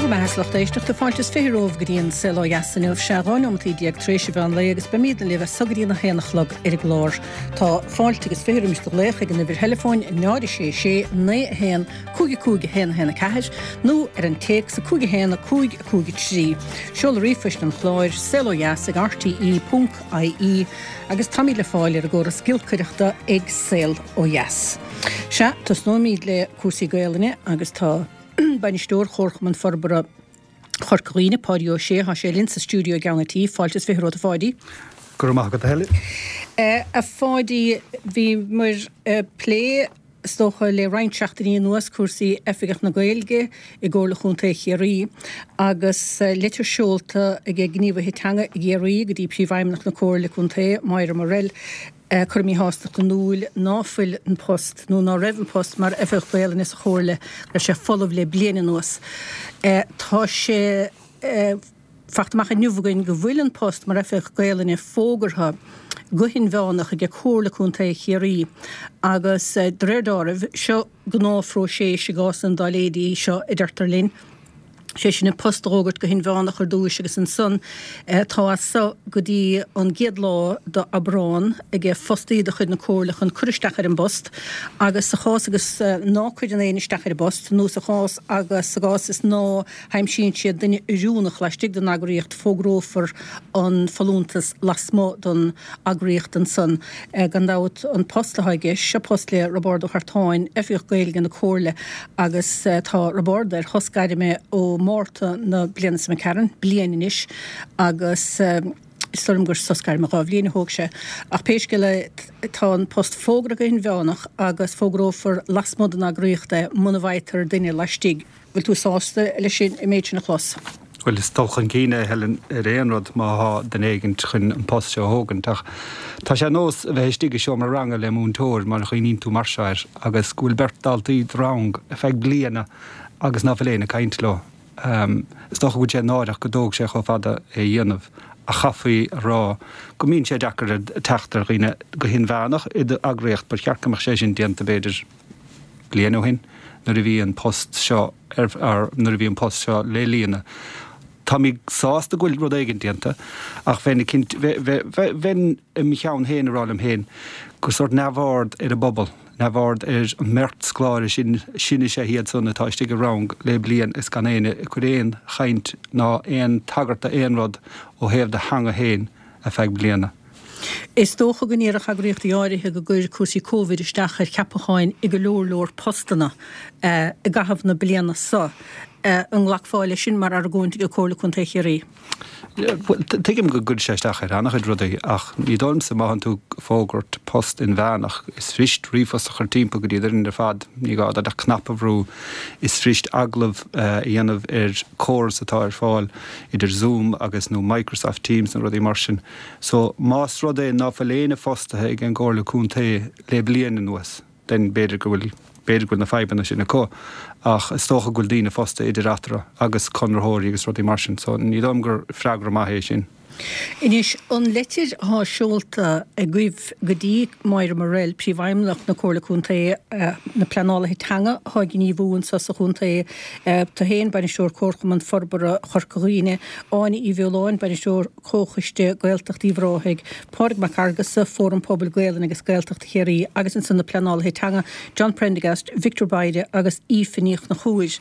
Go raibh maith agat a lucht éisteachta. Fáilte is 20 romhaibh go dtí an Saol Ó Dheas inniu. Sea, 12 neomataí tar éis an mheán lae agus beimidne libh as so go dtí an 1 a chlog ar an gclár. Tá fáilte agus 20 roimis do ghlaoch ag an uimhir theileafóin 0 6 6 9 1 5 5 1 1 4 nó ar an téacs 5 1 5 5 3. Seoladh ríomhphoist an chláir, saolodheas ag rte.ie agus táimid le fáil ar an gcóras giolcaireachta ag Saol Ó Dheas. Sea, tosnóimid le cúrsaí Gaelainne agus tá Bainisteoir Chomharchumann Forbartha Chorca Dhuibhne, Páidí Ó Sé, tá sé linn sa stiúideo i gceann an tí. Fáilte is 20 romhat a Pháidí. Go raibh maith agat a Helen. A Pháidí, bhíomar ag plé, is dócha, le roinnt seachtainí anuas cúrsaí Oifigeach na Gaeilge i gComhairle Chontae Chiarraí agus litir seolta ag gníomhaithe teanga i gCiarraí go dtí Príomhfheidhmeannach na Comhairle Contae, Máire Morrell, ag cur a míshástacht in iúl ná fuil an post, nó ná raibh an post mar Oifigeach Gaelainne sa Chomhairle, go raibh sé folamh le bliain anuas. Tá sé fachta amach inniu againn go bhfuil an post mar Oifigeach Gaelainne fógartha go hinmheánach aige Comhairle Contae Chiarraí agus de réir deáraimh, seo gnáthphróiseas i gcásanna dá leithéidí seo, a deirtear linn. sé sin an post a dh'fhógairt go hinmheánach ar dtúis agus ansan tá as so go dtí an gcéad lá d'Aibreán aige fostaí de chuid na Comhairle chun cur isteach ar an bpost agus sa chás agus ná cuireann éinne isteach ar an bpost nó sa chás agus sa gcás is ná haimsíonn siad duine oiriúnach laistigh den eagraíocht fógrófar an folúntas lasmuigh den eagraíocht ansan. Gan dabht an post atá i gceist, seo post le Roibeárd Ó hArtáin, Oifigeach Gaeilge na Comhairle agus tá Roibeárd ar shos gairme ó Mhárta na bliana seo imigh tharainn, bliain anois agus is dóigh liom gur sos gairme 2 bhliain a thóg sé. Ach pé scéal é tá an post fógartha go hinmheánach agus fógrófar lasmuigh den eagraíocht é muna bhfaightear duine laistigh. Bhfuil tú sásta leis an méid sin a chlos? Bhuel, is dul chun cinn é, Helen, ar aon rud, má thá duine éigint chun an post seo a thógaint. Ach tá sé ar nós a bheith istigh i seomra ranga le múinteoir, mar a chuimhníonn tú mar seo air, agus go bhfuil beirt daltaí i do rang ar feadh bliana agus ná fuil éinne ag caint leo. Is dócha go bhfuil sé náireach go dtóg sé chomh fada é a dhéanamh, ach chaithfí a rá go mbíonn sé deacair teacht ar dhaoine go hinmheánach i d'eagraíocht. Ba cheart go mbeadh sé sin déanta, b'fhéidir. bliain ó shin nuair a bhí an post seo ar nuair a bhí an post seo le líonadh. Táimid sásta go bhfuil rud éigin déanta ach bheinn ag cinnt bheinn i mo cheann féin ag rá liom féin gur sórt neamhaird ar an bpobal, neamhaird ar an mbeirt scoláire sin, sin is ea iad san atá istigh i rang le bliain is gan éinne ag cur aon chaint ná aon tagairt d'aon rud ó thaobh do theanga féin ar feadh bliana. Is dócha go ndéarfadh eagraíochtaí áirithe go gcuir cúrsaí Covid isteach ar cheapacháin i go leor leor postanna i gcaitheamh na bliana seo. An nglacfá leis sin mar argóint ag Comhairle Contae Chiarraí? Bhuel, tuigim go gcuireann sé isteach ar an-chuid rudaí ach ní dóigh liomsa má thánn tú ag fógairt post inmheánach, is fuirist ríomhphost a chur timpeall go dtí an fhoireann ar fad, ní gá duit ach cnaipe a bhrú, is fuirist agallamh a dhéanamh ar córas atá ar fáil idir Zoom agus nó Microsoft Teams nó rudaí mar sin. So, más rud é ná fuil éinne fostaithe ag an gComhairle Contae le bliain anuas, then b'fhéidir go bhfuil, b'fhéidir go bhfuil na fadhbanna sin acu. Ach is dócha go bhfuil daoine fostaithe idir eatarthu agus conraitheoirí agus rudaí mar sin. So, ní dóigh liom gur freagra maith é sin. Anois, an leitir athá seolta agaibh go dtí Máire Morrell, Príomhfheidhmeannach na Comhairle Contae, na pleanálaithe teanga athá ag gníomhú anso sa chontae, tú féin, Bainisteoir Comharchumann Forbartha Chorca Dhuibhne, Áine Uí Bheoláin, Bainisteoir Comhchoiste Gaeltacht Uíbh Ráthaigh, Pádraig Mac Fhearghusa, Fóram Pobail Gaelainne agus Gaeltachta Chiarraí agus ansan na pleanálaithe teanga, John Prendergast, Victor Bayre agus Aoife Ní Chonchúir.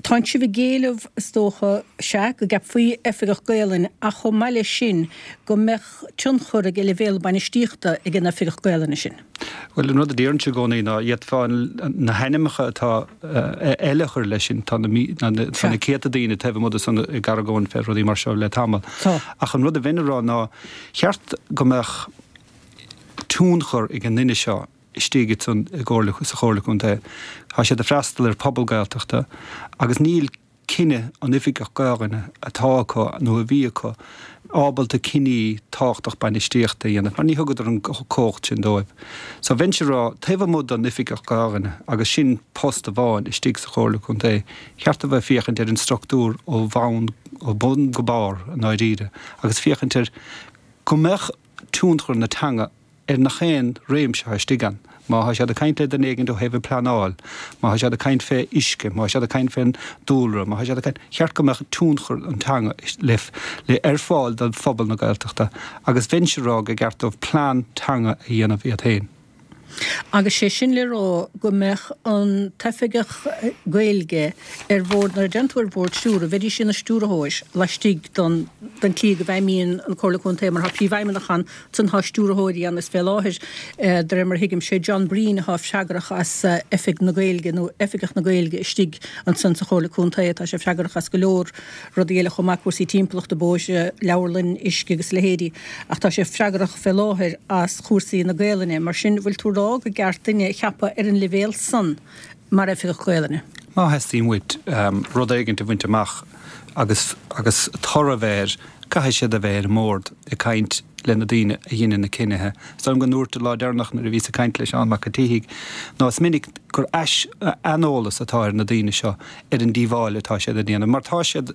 Tánn sibh ag éileamh, is dócha, sea, go gceapfaí Oifigeach Gaelainne ach chomh maith leis sin go mbeadh tionchar ag leibhéal bainistíochta ag an Oifigeach Gaelainne sin. Bhuel, an rud a deirimse i gcónaí ná d'fhéadfá na hainmneacha atá eile a chur leis sin. Tá na tá na céadta daoine taobh amuigh de san ag argóint fé rudaí mar seo le tamall. Ach an rud a bheinn a rá ná cheart go mbeadh tionchar ag an nduine seo istigh san i gComhairle sa Chomhairle Contae. Tá siad ag freastal ar phobal Gaeltachta agus níl cinneadh an Oifigeach Gaelainne atá acu nó a bhí acu ábalta cinní tábhachtach bainistíochta a dhéanamh mar ní thugadar an cumhacht sin dóibh. So bheinnse ag rá, taobh amuigh don Oifigeach Gaelainne, agus sin post amháin istigh sa Chomhairle Contae, cheart a bheith féachaint ar an structúr ó bhonn, ó bhun go barr i ndáiríre agus féachaint ar go mbeadh tionchar na teanga. ar nach aon réimse atá istigh ann. Má thá siad ag caint le duine éigint ó thaobh an pleanáil, má thá siad ag caint fé uisce, má thá siad ag caint fén dúlra, má thá siad ag caint, cheart go mbeadh tionchar an teanga le le ar fáil do phobal na Gaeltachta agus bheinnse ag rá go gceart dóibh plean teanga a dhéanamh iad féin. Agus sé sin le rá go mbeadh an t-oifigeach Gaeilge ar bhord, nuair a deireann tú ar bhord stiúrtha, bheidís ina stiúrthóir laistigh den den tslí go bhfeidhmíonn an Comhairle Contae mar tá príomhfheidhmeannach ann, ansan tá stiúrthóirí ann is fé láthair, de réir mar a thuigim, sé John Breen atá freagrach as Oifig na Gaeilge nó Oifigeach na Gaeilge istigh ansan sa Chomhairle Contae. Tá sé freagrach as go leor rudaí eile chomh maith, cúrsaí timpeallachta, bóithre, leabharlann, uisce agus a leithéidí, ach tá sé freagrach fé láthair as chúrsaí na Gaelainne. Mar sin, bhfuil tú ag rá go gceart duine a cheapadh ar an leibhéal san mar Oifigeach Gaelainne? Má theastaíonn uait rud éigint a bhaint amach agus agus toradh a bheith air, caithfidh siad a bheith ar an mbord ag caint le na daoine a dheineann na cinnithe. Is dóigh liom go ndúirt an lá deireanach nuair a bhíos ag caint le Seán Mac an tSíthigh ná is minic gur aineolas atá ar na daoine seo ar an díobháil atá siad a dhéanamh mar tá siad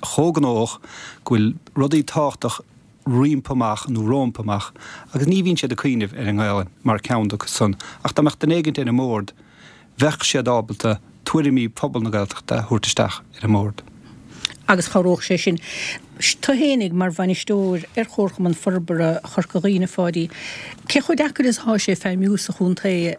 chomh gnóthach go bhfuil rudaí tábhachtach roimpi amach nó rómpa amach agus ní bhíonn siad ag cuimhneamh ar an nGaelainn mar ceann acu san ach dá mbeadh duine éigint ar an mbord bheadh siad ábalta tuairimí phobal na Gaeltachta a thabhairt isteach ar an mbord. Agus chabhródh sé sin. Tú fhéinig mar bhainisteoir ar Chomharchumann Forbartha Chorca Dhuibhne, a Pháidí, cé chomh deacair is atá sé feidhmiú sa chontae?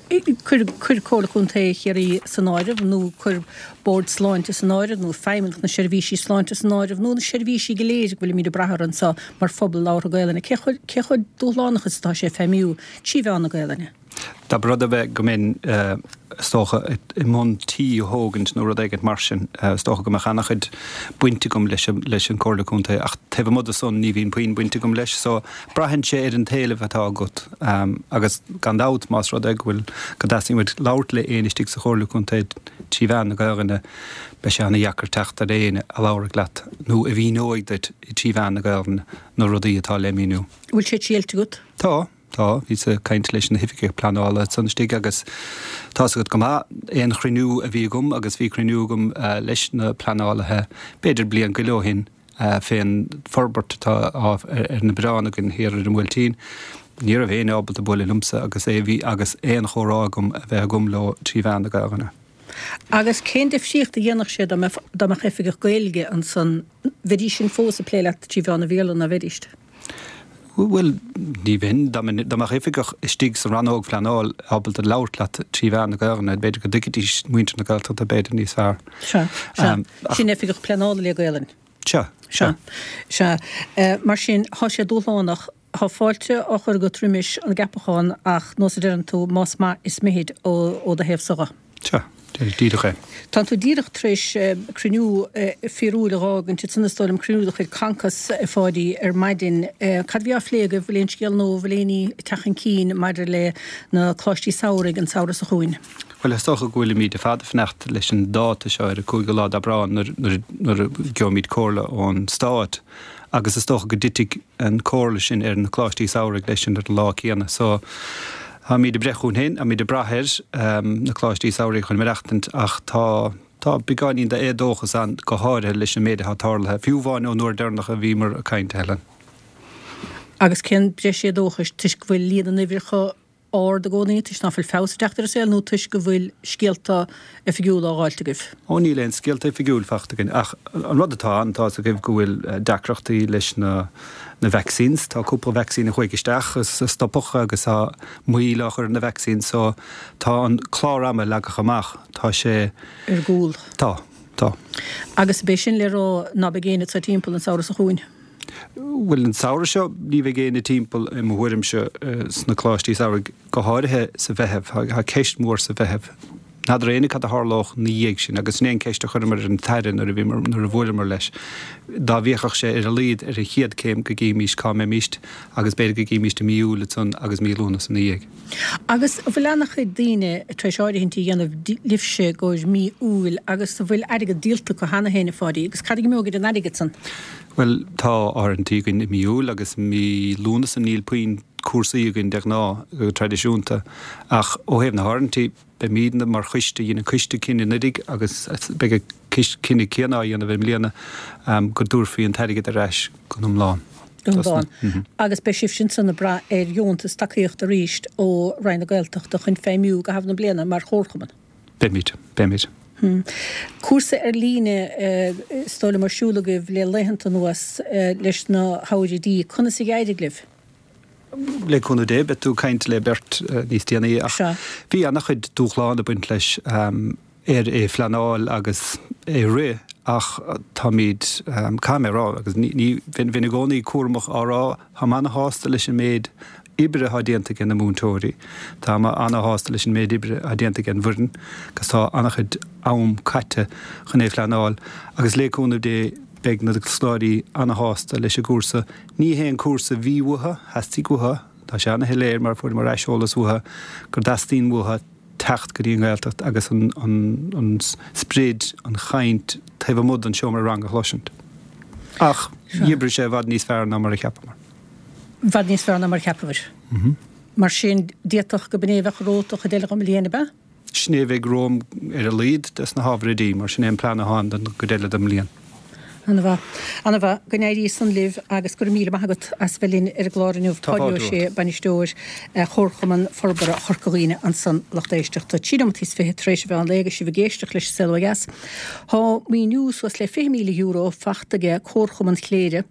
Cuir Comhairle Contae Chiarraí san áireamh, nó cuir Bord Sláinte san áireamh, nó Feidhmeannacht na Seirbhísí Sláinte san áireamh, nó na seirbhísí go léir go bhfuilimid ag brath orthu anseo mar phobal labhartha Gaelainne. Cé chomh dúshlánach is atá sé feidhmiú trí mheán na Gaelainne? Dá mba rud é go mbeinn, is dócha, i mbun tí a thógaint nó rud éigint mar sin, is dócha go mbeadh ana-chuid baint agam leis an Comhairle Contae ach taobh amuigh de san ní bhíonn puinn baint agam leis so braitheann sé ar an t-éileamh atá agat agus gan dabht más rud é go bhfuil, go dteastaíonn uait labhairt le éinne istigh sa Chomhairle Contae trí mheán na Gaelainne beidh sé ana-dheacair teacht ar éinne a labharfaidh leat nó a mhíneoidh duit trí mheán na Gaelainne na rudaí atá le míniú. Bhfuil sé triailte agat? Tá. Tá, bhíos ag caint leis na hoifigigh pleanála ansan istigh agus tá's agat go maith, aon chruinniú a bhí agam agus bhí cruinniú agam leis na pleanálaithe b'fhéidir bliain go leith ó shin fén forbairt atá ar na bioráin againn thiar ar an mBuailtín, ní raibh éinne ábalta bualadh liomsa agus é bhí agus aon chomhrá agam a bheith agam leo trí mheán na Gaelainne. Agus cén difríocht a dhéanfadh sé dá mbeadh oifigeach Gaeilge ansan, bheidís sin fós ag plé leat trí mheán an Bhéarla, ná bheidíst? Bhuel, ní bheinn. Dá mbeadh oifigeach istigh sa rannóg phleanáil ábalta labhairt leat trí mheán na Gaelainne, b'fhéidir go dtuigfidís muintir na Gaeltachta b'fhéidir níos fearr. Sea, sea. Sin oifigeach pleanála le Gaelainn. Sea, sea. Sea. Mar sin, tá sé dúshlánach. Tá fáilte á chur agat roimis an gceapachán ach, nós a deireann tú, más maith is mithid ó do thaobhsa dhe. Sea, díreach é. Tánn tú díreach tar éis cruinniú fíorúil a dh'fhágaint ansan is dóigh liom, cruinniú de chuid Concos, a Pháidí, ar maidin. Cad a bhí á phlé agaibh? Bhfuil aon scéal nua, bhfuil aon ní ag teacht chun cinn maidir le na coláistí samhraidh an samhradh seo chugainn? Bhuel, is dócha go bhfuilimid ar fad ag fanacht leis an dáta seo ar an 5ú lá d'Aibreán nuair a gheobhaimid comhairle ón Stát agus is dócha go dtitfidh an comhairle sin ar na coláistí samhraidh leis an ar an lá céanna. So, táimid ag breith chugainn féin, táimid ag brath ar na coláistí samhraidh chun maireachtaint ach tá, tá beagáinín d'éadóchas ann, go háirithe leis an méid atá tarlaithe, fiú amháin ón uair deireanach a bhíomar ag caint, a Helen. Agus cén breis éadóchais? Toisc go bhfuil líon na n-uimhreacha ard i gcónaí, toisc ná fuil feabhas ag teacht ar an saol nó toisc go bhfuil scéalta oifigiúla á dháilt agaibh? Ó níl aon scéalta oifigiúil fachta againn ach an rud atá ann, tá's agaibh go bhfuil deacrachtaí leis na na vaccines, tá cúpla vaccine a chuaigh isteach is a stopadh agus tá moill á chur ar na vaccines so tá an clár ama leagtha amach, tá sé. ar gcúl. Tá, tá. Agus ab é sin le rá ná beidh éinne anseo timpeall an samhradh seo chugainn? Bhuel, an samhradh seo, ní bheidh éinne timpeall, i mo thuairimse, sna coláistí samhraidh, go háirithe sa Mheitheamh. Tá ceist mhór sa Mheitheamh. N'fheadar éinne cad a tharlódh 'na dhiaidh sin, agus sin é an ceist a chuireamar ar an tAire nuair a bhíomar, nuair a bhuaileamar leis. Dá bhféachfadh sé ar a laghad ar an chéad céim go gcífimís cá mbeimíst, agus b'fhéidir go gcífimíst i mí Iúil ansan agus mí Lúnasa 'na dhiaidh. Agus an bhfuil ana-chuid daoine tar éis áirithintí a dhéanamh libhse i gcomhair mí Iúil agus an bhfuil airgead díolta acu cheana féin, a Pháidí? Agus cad a imeoidh ar an airgead san? Bhuel, tá áirithintí againn i mí Iúil agus mí Lúnasa, níl puinn cúrsaí againn de ghnáth, go traidisiúnta, ach ó thaobh na háirithintí, beimídne mar choiste, dhein an coiste cinneadh anuiridh agus beidh an cinneadh céanna á dhéanamh i mbliana, go dtabharfaí an t-airgead ar ais go hiomlán. Dún Bán. Agus beidh sibhse ansan ag brath ar dheontas tacaíochta arís ó Roinn na Gaeltachta chun feidhmiú i gcaitheamh na bliana mar chomharchumann. Beimid. Beimid. Cúrsa ar líne is dóigh liom ar siúl agaibh le laethanta anuas leis na hábhair oidí. Conas a d'éirigh libh? Le cúnamh Dé, beidh tú ag caint le beirt níos déanaí ach bhí an-chuid dúshlán ag baint leis ar é phleanáil agus é rith ach táimid, caithfidh mé a rá, agus ní, bheinn i gcónaí cúramach á rá, táim ana-shásta leis an méid oibre atá déanta ag na múinteoirí, táim ana-shásta leis an méid oibre atá déanta ag an bhfoireann agus tá an-chuid am caite chun é phleanáil agus le cúnamh Dé beidh na scoláirí ana-shásta leis an gcúrsa. Ní hé an cúrsa a bhí uathu, theastaigh uathu, tá sé ana-shoiléir mar fuaireamar aiseolas uathu go dteastaíonn uathu teacht go dtí an Ghaeltacht agus an sprid, an chaint taobh amuigh den seomra ranga a chloisint. Ach d'oibrigh sé i bhfad níos fearr ná mar a cheapamar. I bhfad níos fearr ná mar a cheapabhair. Mar sin, d'fhéadfadh go b'in é a bheadh romhat don chuid eile den mbliain, ab ea? Sin é a bheidh romham ar a laghad des na hábhair oidí, mar sin é an plean atá ann don gcuid eile den mbliain. Ana-mhaith. Ana-mhaith. Go n-éirí san libh agus go raibh míle maith agat as bheith linn ar an gclár inniu. Tá Páidí fáilte Ó Sé, romhat. Bainisteoir Chomharchumann Forbartha Chorca Dhuibhne ansan, lucht éisteachta. 13 nóimeataí tar éis an mheán lae agus sibh ag éisteacht leis An Saol Ó Dheas. Tá maoiniú suas le €20,000 fachta aige Comharchumann Chléire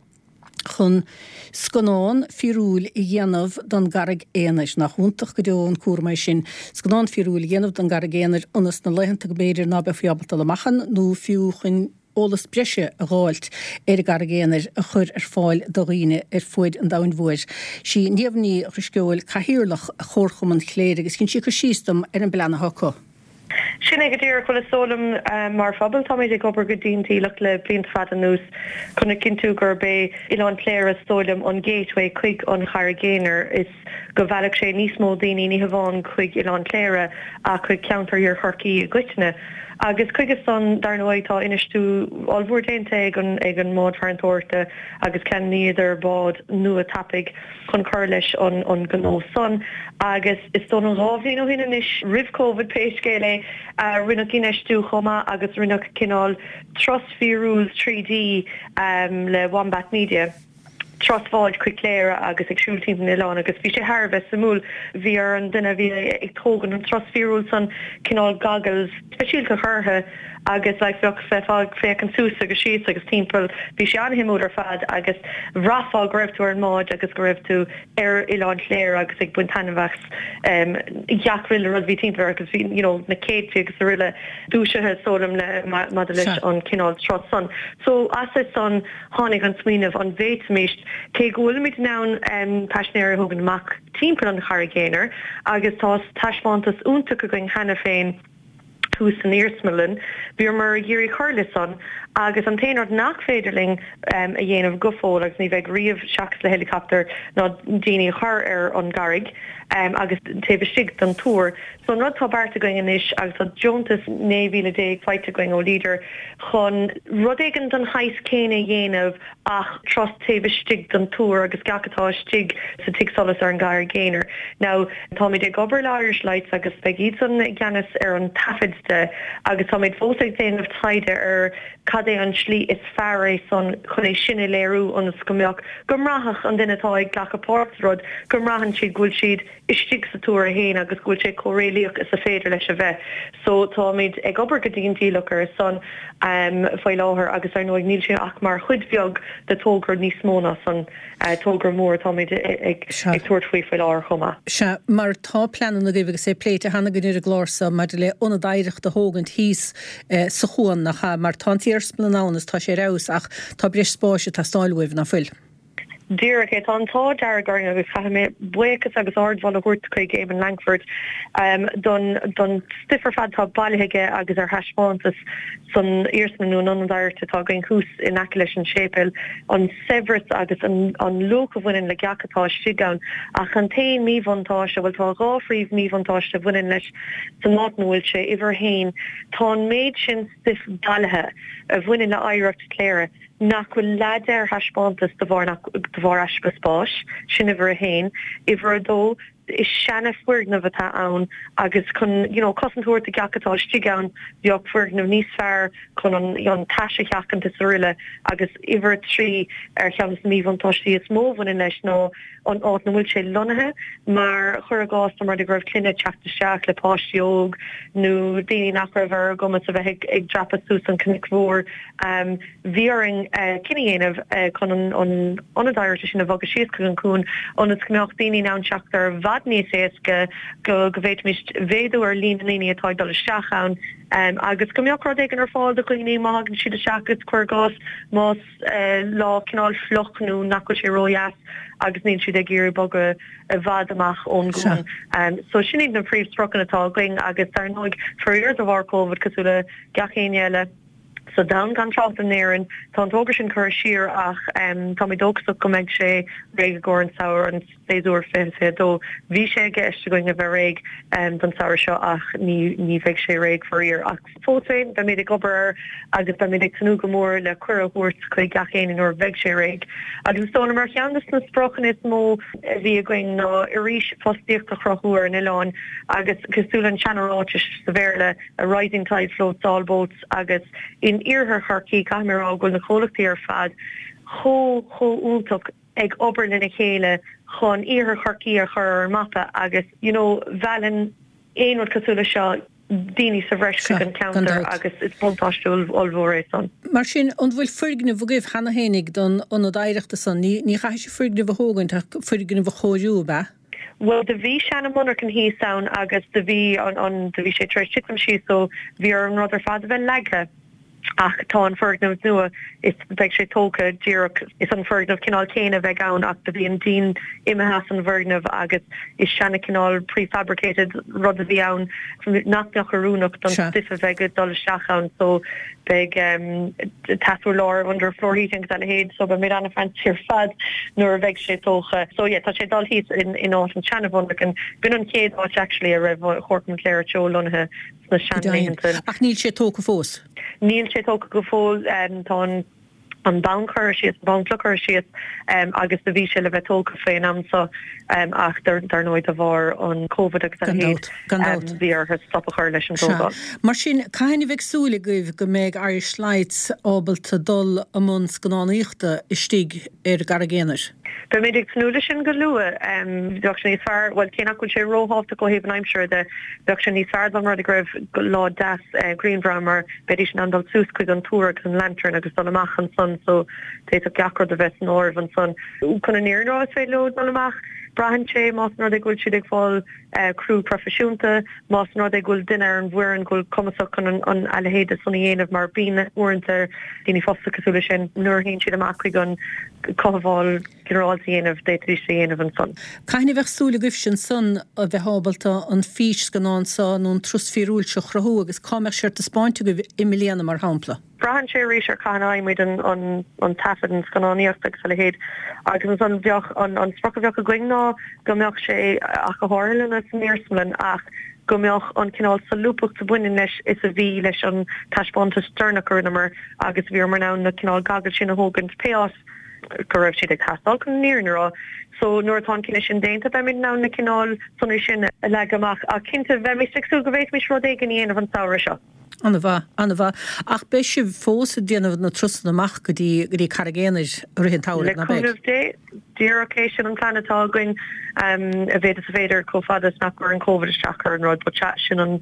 chun scannán fíorúil a dhéanamh don gCarraig Aonair. Nach iontach go deo an cúram é sin, scannán fíorúil a dhéanamh don gCarraig Aonair ionas na laethanta go mb'fhéidir ná beifí ábalta dul amach ann nó fiú chun eolas breise a dh'fháilt ar an gCarraig Aonair a chur ar fáil do dhaoine ar fuaid an domhain mhóir. Sí Niamh Ní Dhrisceoil Cathaoirleach Chomharchumann Chléire agus dhein sí cur síos dom ar an bplean atá acu. Sin é go díreach. Bhuel, is dóigh liom, mar phobal, táimid ag obair go dian dialach le blianta fada anuas chun a chinntiú gurb é Oileán Chléire, is dóigh liom, an gateway chuig an Charraig Aonair, is go mheallfadh sé níos mó daoine ní hamháin chuig Oileán Chléire ach chuig ceantar Thiar Chorcaí i gcoitinne. Agus chuige san, dar ndóigh, tá infheistiú ollmhór déanta ag an ag an mbád farantóireachta agus cheannaíodar bád nua tapaidh chun cur leis an an gnó san agus is dóigh liom 2 bhliain ó shin anois, roimh Covid pé scéal é, rinneadh infheistiú chomh maith agus rinneadh cineál turas fíorúil 3D le Wombat Media, turas bháid chuig Cléire agus ag siúl timpeall an oileáin agus bhí sé thar a bheith suimiúil. Bhí ar an duine a bhí ag tógaint an turas fíorúil san cineál goggles speisialta a chur orthu agus like bheadh bheifeá ag féachaint suas agus síos agus timpeall, bhí sé an-shuimiúil ar fad agus bhraithfeá go raibh tú ar an mbád agus go raibh tú ar Oileán Chléire agus ag baint taitneamh as gach uile rud a bhí timpeall air agus bhí you know na céadfaí agus araile dúisithe is dóigh liom le maidir leis an cineál turas san. So as é san tháinig an smaoineamh an bhféadfaimis, cé go bhfuilimid in ann paisinéirí a thógaint amach timpeall an Charraig Aonair agus tá taispeántas iontach againn cheana féin, thuas san iarsmalann. Bhíomar ag iarraidh cur leis san agus an t-aon rud nach féidir linn a dhéanamh go fóill agus ní bheidh riamh seachas le helicopter ná daoine a chur ar an gcarraig agus taobh istigh den túr. So an rud atá beartaithe againn anois agus tá deontas 19,000 faighte againn ó Leader chun rud éigin den shaghas céanna a dhéanamh ach turas taobh istigh den túr agus gach atá istigh sa tigh solais ar an gCarraig Aonair. Now, táimid ag obair le Irish Lights agus beidh iadsan i gceannas ar an taifead de agus táimid fós ag déanamh taighde ar cad é an tslí is fearr é san chun é sin a léiriú ionas go mbeadh, go mbraithfeadh an duine atá ag glacadh páirt sa rud, go mbraitheann siad go bhfuil siad istigh sa túr é féin agus go bhfuil sé chomh réalaíoch is a féidir leis a bheith. So táimid ag obair go dian dialach ar a son faoi láthair agus ar ndóigh níl sé ach mar chuid bheag de togra níos mó ná san, togra mór atáimid ag tabhairt faoi faoi láthair chomh maith. Sea, mar tá pleananna agaibh agus é pléite cheana againn ar an gclár seo maidir le ionad oidhreachta a thógaint thíos sa chuan, nach ea? Mar tá an t-iarsmalann ann is tá sé ar fheabhas ach tá breis spáis ag teastáil uaibh, ná fuil? Díreach é. Tá an t-ádh dearg orainn agus caithfidh mé buíochas agus ardmholadh a thabhairt chuig Éamonn Lankford don don stuif ar fad atá bailithe aige agus ar thaispeántas san iarsmalann nó an ionad oidhreachta atá againn thuas in aice leis an séipéal, an saibhreas agus an an luach a bhaineann le gach atá istigh ann. Ach an t-aon míbhuntáiste, bhuel tá dhá phríomh míbhuntáiste a bhaineann leis san áit ina bhfuil sé, uimhir a haon, tá an méid sin stuif bailithe a bhaineann le hoidhreacht Chléire, nach bhfuil leath de ar thaispeántas de bharr nach de bharr easpa spáis, sin uimhir a haon. Uimhir a dó, Is seana foirgneamh atá ann agus chun you know cosaint a thabhairt do gach atá istigh ann bheadh foirgneamh níos fearr chun an an tais a sheachaint is araile agus uimhir a 3 ar cheann de na míbhuntáistí is mó a bhaineann leis ná an áit ina bhfuil sé lonnaithe mar chuir i gcás dá mba rud é go raibh clainne ag teacht isteach le páistí óg nó daoine nach raibh ar a gcumas a bheith ag dreapadh suas an cnoic mhór bhí orainn cinneadh a dhéanamh chun an ionad oidhreachta sin a bhogadh síos chuig an cuan ionas go mbeadh daoine in ann teacht air i bhfad níos éasca go go bhféadfaimis mhéadú ar líon na ndaoine atá ag dul isteach ann agus go mbeadh rud éigin ar fáil do dhaoine má thagann siad isteach agus cuir i gcás más lá cineál fliuch nó nach bhfuil sé ródheas agus níl siad ag iarraidh bogadh i bhfad amach ón gcuan. So sin iad na príomhspriocanna atá againn agus dar ndóigh faraor de bharr Covid cosúil le gach éinne eile sa domhan gan trácht in Éirinn tá an togra sin curtha siar ach táimid dóchasach go mbeidh sé réidh i gcomhair an samhradh an séasúr 2022. Bhí sé i gceist againn a bheith réidh don samhradh seo ach ní ní bheidh sé réidh faraor. Ach fós féin, beimid ag obair air agus beimid ag tnúth go mór le cuireadh a thabhairt chuig gach éinne nuair a bheidh sé réidh. Agus is dóigh liom ar cheann de na spriocanna is mó a bhí againn ná arís fostaíocht a chruthú ar an oileán agus cosúil le an seana-ráiteas sa Bhéarla, a rising tide floats all boats agus in iarthar Chorcaí caithfidh mé a rá go bhfuil na comhlachtaí ar fad chomh chomh iontach ag obair lena chéile chun iarthar Chorcaí a chur ar an mapa agus you know mheallann aon rud cosúil leis seo daoine sa bhreis chuig an ceantar agus is buntáiste ollmhór é san. Mar sin, an bhfuil foirgneamh agaibh cheana fhéinig don ionad oidhreachta san? Ní ní chaithfidh sibh foirgneamh a thógaint ach foirgneamh a chóiriú, ab ea? Bhuel do bhí seana monarchan thíos ann agus do bhí an an do bhí sé tar éis titim síos so bhí ar an rud ar fad a bheith leagtha. Ach tá an foirgneamh nua, is beidh sé tógtha díreach, is an foirgneamh cineál céanna a bheidh ann ach do bhí an díon imithe as an bhfoirgneamh agus is seana cineál prefabricated rud a bhí ann nach mbeadh oiriúnach don stuif a bheidh ag dul isteach ann so beidh teas-urlár under floor heating agus a leithéid so beimid an-fancy ar fad nuair a bheidh sé tógtha. So yeah tá sé ag dul thíos in in áit an tseana mhonarchan. B'in an chéad áit actually a raibh Comharchumann Chléire Teo lonnaithe. sna seanlaethanta. Ach níl sé tógtha fós? Níl sé tógtha go fóill. Tá an an bonn curtha síos, an bonn cloch curtha síos agus do bhí sé le bheith tógtha faoin am seo ach dar ndóigh de bharr an Covid agus a leithéid bhí orthu stop a chur leis an tógáil. Mar sin, cathain a bheidh súil agaibh go mbeidh Irish Lights ábalta dul i mbun scannánaíochta istigh ar an gCarraig Aonair? Beimid ag tnúth leis sin go luath. Bheadh sé níos fearr, bhuel, cé nach bhfuil sé róthábhachtach ó thaobh an aimsire de, bheadh sé níos fearr dá mba rud é go raibh lá deas grianmhar ann mar bheidís in ann dul suas chuig an túr agus an lantern agus dul amach ansan so d'fhéadfadh gach rud a bheith san áireamh ansan. Chun an fhírinne a rá is féidir leo dul amach, braitheann sé más an rud é go bhfuil siad ag fáil criú proifisiúnta, más an rud é go bhfuil duine ar an bhfoireann go bhfuil cumasach chun an a leithéid san a dhéanamh mar bíonn uaireanta daoine fostaithe cosúil leis sin nuair a théann siad amach chuig an cothabháil ghinearálta a dhéanamh d'fhéadfaidís é a dhéanamh ansan. Cathain a bheadh súil agaibhse ansan a bheith ábalta an físscannán seo nó an turas fíorúil seo a chruthú agus cá mbeadh sé ar taispeáint agaibh i mbliana mar shampla? Braitheann sé arís ar cathain a fhaighimid an taifead, an scannánaíocht agus a leithéid. Agus ansan bheadh, an sprioc a bheadh againn ná go mbeadh sé, ach go háirithe lena san iarsmalann, ach go mbeadh an cineál solúbthacht a bhaineann leis is a bhí leis an taispeántas deireanach a rinneamar agus bhíomar in ann na cineál goggles sin a thógaint pé áit go raibh siad ag teastáil chun an fhírinne a rá. So nuair atá an cinneadh sin déanta beimid in ann na cineál sonraí sin a leagadh amach. Ach cinnte bheimis ag súil go bhféadfaimis rud éigin a dhéanamh an samhradh seo. An-mhaith, an-mhaith. Ach beidh sibh fós ag déanamh na turasanna amach go dtí, go dtí Carraig Aonair i rith an tsamhraidh, ná beidh? Le cúnamh Dé, díreach é sin an plean atá againn, a mhéad is a féidir, chomh fada is nach gcuireann Covid isteach ar an rud. But sea, sin an,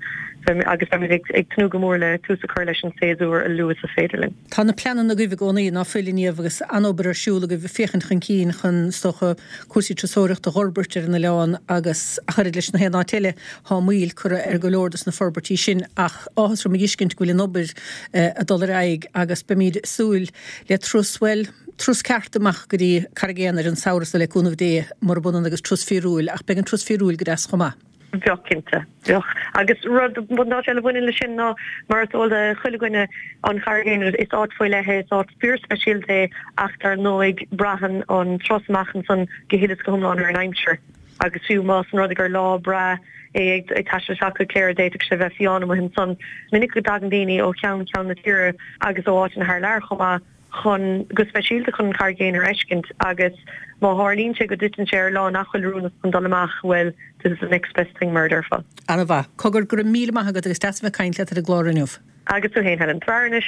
agus beimid ag, ag tnúth go mór le tús a chur leis an séasúr a luaithe is a féidir linn. Tá na pleananna agaibh i gcónaí, ná fuil, a Niamh, agus an-obair ar siúl agaibh ag féachaint chun cinn chun, is dócha, cúrsaí turasóireachta a dh'fhorbairt ar an oileán agus ach oiread leis na haon áit eile, Tá moill curtha ar go leor dos na forbairtí sin ach áthas orm a dh'fheiscint go bhfuil an obair ag dul ar aghaidh agus beimíd ag súil le turas, bhuel, turas ceart amach go dtí Carraig Aonair an samhradh seo le cúnamh Dé, murab ionann agus turas fíorúil ach beidh an turas fíorúil go deas chomh maith. Bheadh, cinnte. Bheadh. Agus rud, buntáiste eile a bhaineann leis sin ná, mar is eol do chuile dhuine, an Charraig Aonair, is áit faoi leith é, is áit fíorspeisialta é ach dar ndóigh braitheann an turas amach ansan go huile is go hiomlán ar an aimsir. Agus fiú más an rud é gur lá breá é ag taisteal isteach go Cléire d'fhéadfadh sé bheith fiáin amuigh ansan. Is minic go dtagann daoine ó cheann ceann na tíre agus ó áiteanna thar lear chomh maith. chun, go speisialta chun an Charraig Aonair a fheiscint agus má tharlaíonn sé go dtiteann sé ar lá nach bhfuil oiriúnach chun dul amach, bhuel, this is the next best thing mar a déarfá. Ana-mhaith. Cogar, go raibh míle maith agat agus deas a bheith ag caint leat ar an gclár inniu. Agus tú fhéin, Helen. Tar anois.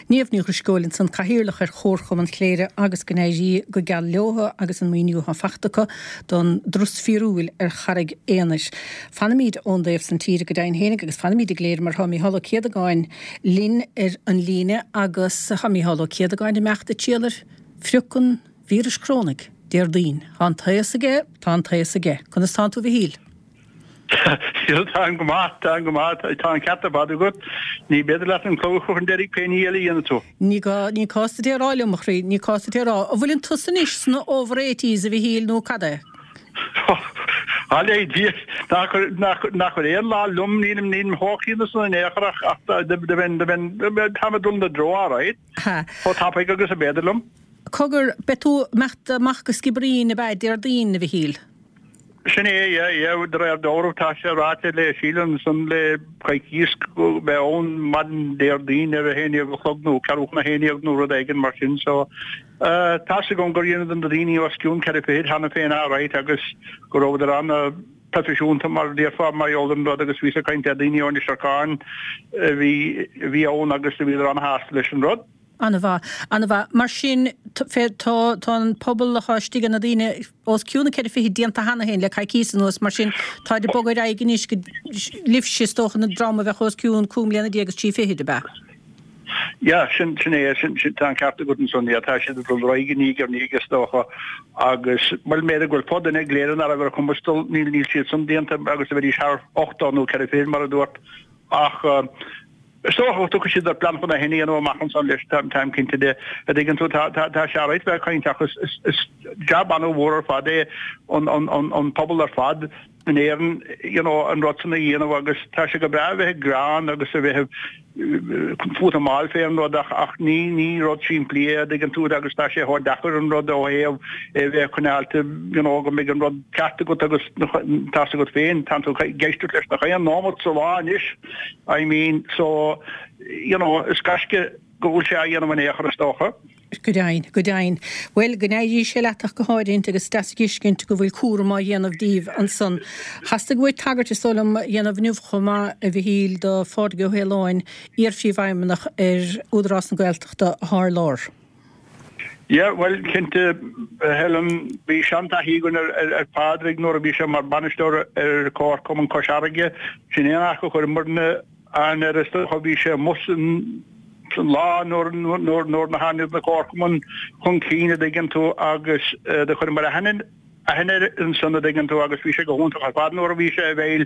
Niamh Ní Dhrisceoil ansan, Cathaoirleach ar Chomharchumann Chléire agus go n-éirí go geal leotha agus an maoiniú atá fachta acu don dturas fíorúil ar Charraig Aonair. Fanaimíd ón dtaobh san tíre go deimhin fhéinig agus fanaimíd i gCléire mar tá Mícheál Ó Céadagáin linn ar an líne agus tá Mícheál Ó Céadagáin ag imeacht ag triall ar phrioc an víris chorónaigh Déardaoin. Tá an taos aige, tá an taos aige. Conas tánn tú a Mhichíl? Táim go maith, táim go maith, tá an ceart ar fad agat. Ní féidir leat an clog a chur chun deiridh pé ní eile a dhéanfaidh tú. Ní gá, ní cás duit é a rá liom, a chroí, ní cás duit é a rá. An bhfuileann tusa anois sna over eighties, a Mhichíl, nó cad é? Bail ó Dhia, nach chuir aon lá liom, nílim, nílim chomh críonna san in aon chor ach, ach do bheinn, do bheinn, táim ag dul ina dtreo alright. Chomh tapaidh agus ab fhéidir liom. Cogar, beidh tú ag imeacht amach go Skibbereen, ab ea, Déardaoin, a Mhichíl? Sin é, yeah, yeah, de réir dealraimh tá sé ráite le Síle ansan le coicíos go mbeidh ann maidin Déardaoin ar a haon dhéag a chlog nó ceathrú chun a haon dhéag nó rud éigin mar sin so eh tá's agam gur dheineadar na daoine os cionn ceithre fichid cheana féin alright agus go rabhadar ana-proifisiúnta mar a déarfá mar gheall ar an rud agus bhíos ag caint le daoine ó Inis Lorcáin a bhí a bhí ann agus bhíodar ana-shásta leis an rud. An-mhaith. An-mhaith. Mar sin, tá, tá an pobal atá istigh, na daoine os cionn na ceithre fichid déanta cheana féin le coicíos anuas, mar sin, táid ag bogadh ar aghaidh anois go libhse, is dócha, an dream a bheadh os cionn cúig mbliana déag is trí fichid, ab ea? Yeah, sin, sin é, sin, sin, tá an ceart agat ansan, yeah, tá siad ag dul ar aghaidh i ndiaidh ar ndiaidh is dócha agus, bhuel, b'fhéidir go bhfuil fo-dhuine i gCléire nach raibh ar a chumas dul, níl, níl siad san déanta agus a bheidís thar 80 nó ceithre fichid mar a dúirt ach, Is dócha go dtiocfaidh siad ar plean chun é sin a dhéanamh amach ansan leis, táim cinnte de. A dtuigeann tú, tá sé alright bheith ag caint ach is jab an-mhór ar fad é an pobal ar fad in Éirinn you know an rud san a dhéanamh agus tá sé go breá a bheith ag gearán agus a bheith fút amáil fé an rud ach ach ní ní rud simplí é a dtuigeann tú agus tá sé chomh deacair an rud ó thaobh é bheith coinneáilte you know go mbeidh an rud ceart agat agus tá's agat féin tá tú ag éisteacht leis nach aon nóimeat sa lá anois. I mean, so, you know, is gaisce go bhfuil sé á dhéanamh in aon chor is dócha. Go deimhin, go deimhin. Bhuel, go n-éirí sé leat ach go háirithint agus is deas a dh'fheiscint go bhfuil cúram á dhéanamh díbh ansan. Theastaigh uait tagairt, is dóigh liom, a dhéanamh inniu chomh maith, a Mhichíl, do Phádraig Ó hAoláin, iar-phríomhfheidhmeannach ar Údarás na Gaeltachta athá ar lár. Yeah, bhuel, cinnte, Helen, bhí seantaithí againn ar Phádraig nuair a bhí sé mar bhainisteoir ar Chomharchumann Chois Fharraige. Sin é an áit a chuireamarna aithne air is dócha. Bhí sé amuigh san lá nuair nuair a tháinig na comharchumainn chun cinn, a dtuigeann tú, agus do chuireamar aithne aithne air ansan, a dtuigeann tú, agus bhí sé go hiontach ar fad nuair a bhí sé i bhfeighil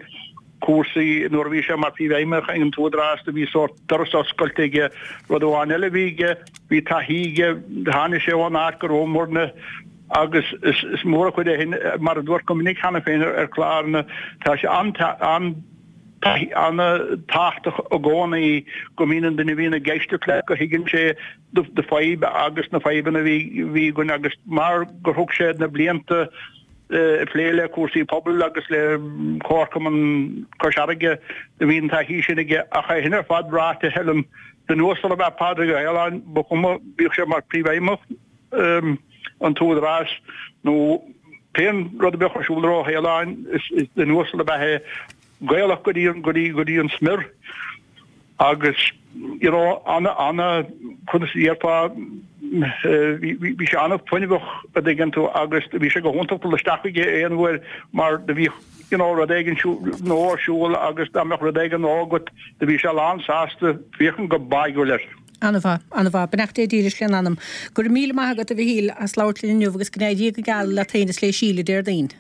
cúrsaí nuair a bhí sé mar phríomhfheidhmeannach ag an tÚdarás do bhí sórt doras oscailte aige. Rud amháin eile a bhí aige, bhí taithí aige, tháinig sé ón áit go rabhamarna agus is mór an chuid é sin, mar a dúirt go minic cheana féin ar chláranna, tá sé an-tábhachtach i gcónaí go mbíonn an duine a bhíonn ag éisteacht leat go thuigeann sé do fadhb agus na fadhbanna a bhí againn agus mar gur thug sé na blianta ag plé le cúrsaí pobail agus le Comharchumann Chois Fharraige do bhí an taithí sin aige. Ach é sin ar fad ráite, Helen, duine uasal ab ea Pádraig Ó hAoláin, ba chuma, bíodh sé mar phríomhfheidhmeannach an tÚdarás nó pén rud a bheadh ar siúl ar Ó hAoláin, is duine uasal ab ea é. Gaelach go dtí an, go dtí, go dtí an smior agus you know ana, ana, conas a déarfá, bhí, bhí sé ana-fhuinneamhach a dtuigeann tú agus bhí sé go hiontach dul isteach chuige aon uair mar do bhíodh you know rud éigin nó ar siúl agus dá mbeadh rud éigin nó agat do bhí sé lán sásta féachaint go báigiúil air. Ana-mhaith, ana-mhaith. Beannacht Dé dílis lena anam. Go raibh míle maith agat a Mhichíl as labhairt linn inniu agus go n-éirí go geal leat féin is le Síle Déardaoin.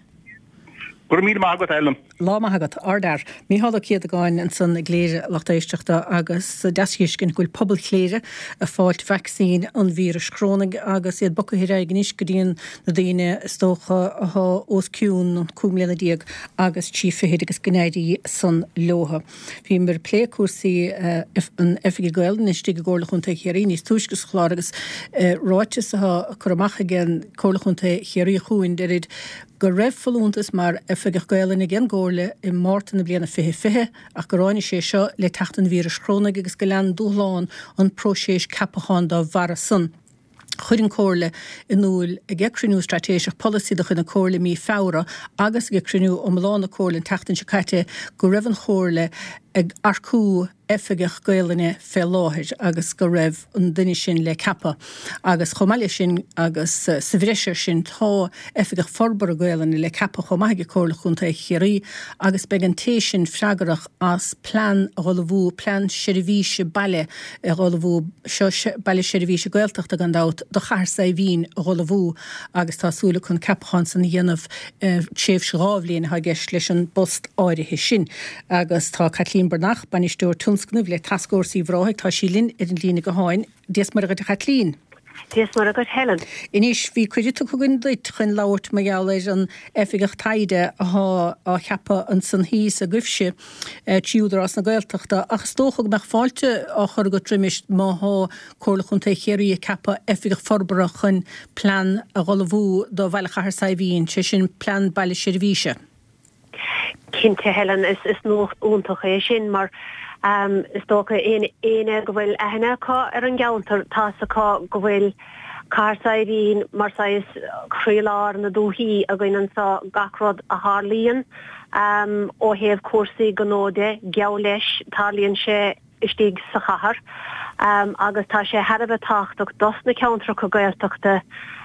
Go raibh míle maith agat, Ellen. Lá maith agat. Ardfhear. Mícheál Ó Céadagáin ansan i gCléire, a lucht éisteachta, agus deas a dh'fheiscint go bhfuil pobal Chléire ag fáilt vacsaín an víris chorónaigh agus iad bogtha ar aghaidh anois go dtí na daoine is dócha athá os cionn 15 mbliana agus 3 fichid agus go n-éirí san leotha. Bhíomar ag plé cúrsaí an Oifigigh Gaelainne istigh i gComhairle Chontae Chiarraí níos túisce sa chlár agus ráiteas atá curtha amach ag an Comhairle Chontae Chiarraí chugainn deirid go raibh folúntas mar Oifigeach Gaelainne ag an gComhairle i Márta na bliana 2020 ach gur ráinig sé seo le teacht an víris chorónaigh agus go lean dúshlán an próiseas ceapacháin dá bharra san. Chuir an Chomhairle in iúl ag a cruinniú straitéiseach polasaí de chuid na Comhairle i mí Feabhra agus ag a cruinniú iomlán na Comhairle an tseachtain seo caite go raibh an Chomhairle ag earcú oifigeach Gaolainne fé láthair agus go raibh an duine sin le ceapadh agus chomh maith leis sin agus sa bhreis air sin tá Oifigeach Forbartha Gaolainne le ceapadh chomh maith ag Comhairle Chontae Chiarraí agus beidh an té sin freagrach as plean a dh'ullmhú, plean seirbhíse baile a dh'ullmhú, seo Baile Seirbhíse Gaeltachta gan dabht, do Chathair Saidhbhín a dh'ullmhú agus tá súil acu an ceapachán san a dhéanamh tréimhse 2 bhliain atá i gceist leis an bpost áirithe sin. Agus tá Caitlín Breathnach, Bainisteoir Tionscnaimh le Tascfhórsa Uíbh Ráthaigh, tá sí linn ar an líne gutháin. Dia 's Muire dhuit a Chaitlín. Dia 's Muire dhuit Helen. Anois, bhí cuireadh tugtha againn duit chun labhairt mar gheall ar an oifigeach taighde athá á cheapadh ansan thíos agaibhse trí Údarás na Gaeltachta ach is dócha go mbeadh fáilte á chur agat roimis má thá Comhairle Chontae Chiarraí ag ceapadh oifigeach forbartha chun plean a dh'ullmhú do Bhaile Chathair Saidhbhín, sé sin plean baile seirbhíse. Cinnte, Helen, is nuacht iontach é sin mar is dócha éinne go bhfuil aithne acu ar an gceantar, tá's acu go bhfuil Cathair Saidhbhín mar saghas croílár na dúichí againn anseo, gach rud a tharlaíonn ó thaobh cúrsaí gnó de, geall leis, tarlaíonn sé istigh sa chathair agus tá sé thar a bheith tábhachtach dos na ceantracha Gaeltachta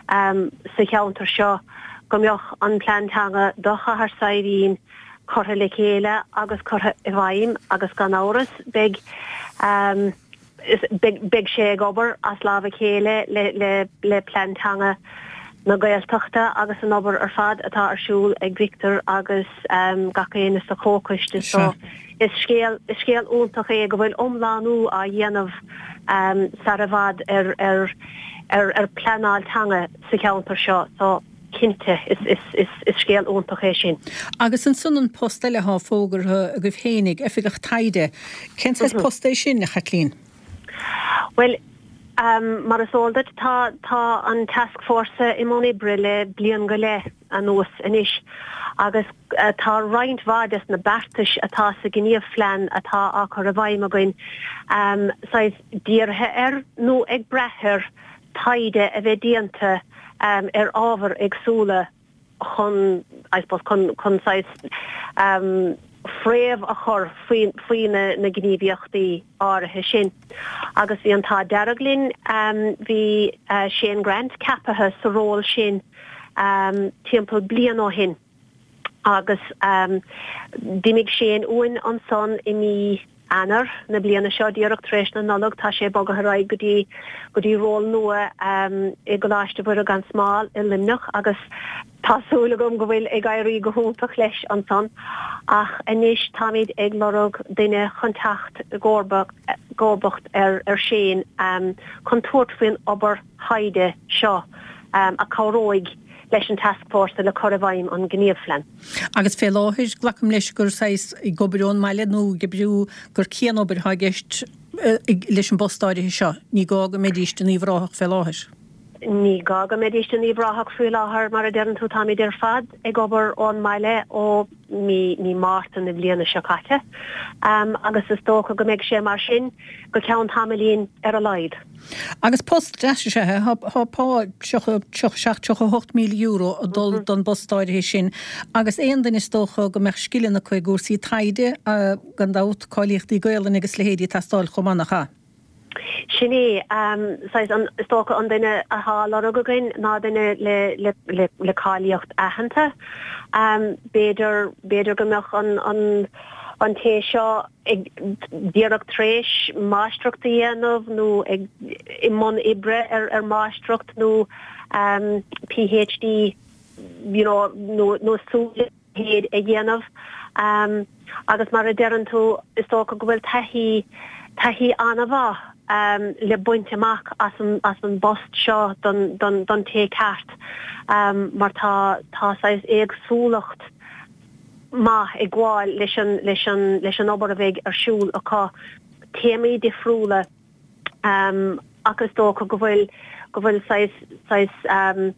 sa cheantar seo go mbeadh an plean teanga do Chathair Saidhbhín curtha le chéile agus curtha i bhfeidhm agus gan amhras beidh beidh sé ag obair as lámh a chéile le le plean teanga na Gaeltachta agus an obair ar fad atá ar siúl ag Victor agus gach éinne sa chomhchoiste so is scéal is scéal iontach é go bhfuil iomlánú á dhéanamh sar i bhfad ar ar ar ar pleanáil teanga sa cheantar seo so cinnte is is is is scéal iontach é sin. Agus ansan an post eile atá fógartha agaibh fhéinig, Oifigeach Taighde. Cén saghas post é sin, a Chaitlín? Bhuel, mar is eol duit, tá tá an tascfhórsa i mbun oibre le bliain go leith anuas anois agus tá roinnt mhaith des na beartais atá sa ghníomhphlean atá á cur i bhfeidhm againn saghas dírithe ar nó ag brath ar taighde a bheith déanta ar ábhair éagsúla chun, I suppose, chun, chun saghas fréamh a chur faoi, faoi na, na gníomhaíochtaí áirithe sin. Agus bhí an t-ádh dearg linn, bhí Shane Grant ceapaithe sa ról sin timpeall bliain ó shin agus d'imigh Shane uainn ansan i mí Eanáir na bliana seo, díreach tar éis na Nollag, tá sé bogtha ar aghaidh go dtí go dtí ról nua i gColáiste Mhuire gan Smál i Luimneach agus tá súil agam go bhfuil ag éirí go hiontach leis ansan. Ach anois táimid ag lorg duine chun teacht i gcomharbacht ar ar Shane chun tabhairt faoin obair thaighde seo a cabhróidh leis an tascfhórsa le cur i bhfeidhm an ghníomhphlean. Agus fé láthair, glacaim leis gur saghas ag obair ón mbaile nó ag oibriú gur cianobair atá i gceist leis an bpost áirithe seo. Ní gá go mbeidíst in Uíbh Ráthach fé láthair. Ní gá go mbeidíst in Uíbh Ráthach faoi láthair, mar a deireann tú, táimid ar fad ag obair ón mbaile ó mí mí Márta na bliana seo caite agus is dócha go mbeidh sé mar sin go ceann tamaillín ar a laghad. Agus post deas is ea é. Tá pá 37, 38 míle euro ag dul don bpost áirithe sin agus aon duine is dócha go mbeadh scileanna acu i gcúrsaí taighde, gan dabht, cáilíochtaí Gaolainne agus leithéidí ag teastáil chomh maith, nach ea? Sin é. Saghas an, is dócha an duine athá á lorg againn ná duine le, le, le, le cáilíocht aitheanta. B'fhéidir, b'fhéidir go mbeadh an, an, an té seo ag, díreach tar éis máistreacht a dhéanamh nó ag, i mbun oibre ar, ar mháistreacht nó PhD, you know, nó, nó súil. leithéid a dhéanamh agus mar a deireann tú is dócha go bhfuil taithí, taithí an-mhaith le baint amach as an, as an bpost seo don, don, don té ceart mar tá, tá saghas éagsúlacht maith ag gabháil leis an, leis an, leis an obair a bheidh ar siúl acu, téamaí difriúla ach is dócha go bhfuil, go bhfuil saghas, saghas.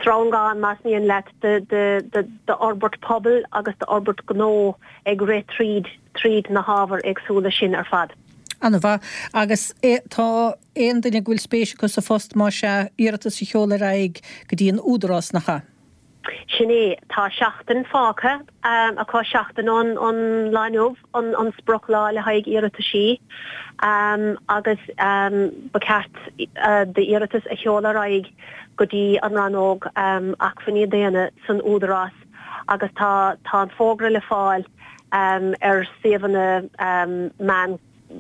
sreangán, más mian leat, d'fhorbairt pobail agus d'fhorbairt gnó ag rith tríd, tríd na hábhair éagsúla sin ar fad. Ana-mhaith. Agus tá aon duine go bhfuil spéis acu sa phost, más ea, iarratas a sheoladh ar aghaidh go dtí an Údarás, nach ea? Sin é. Tá seachtain fágtha acu, seachtain ón lá inniu an sprioclá le haghaidh iarrataisí agus ba cheart d'iarratas a sheoladh ar aghaidh go dtí an rannóg Acmhainní Daonna san Údarás agus tá tá an fógra le fáil ar suíomhanna meán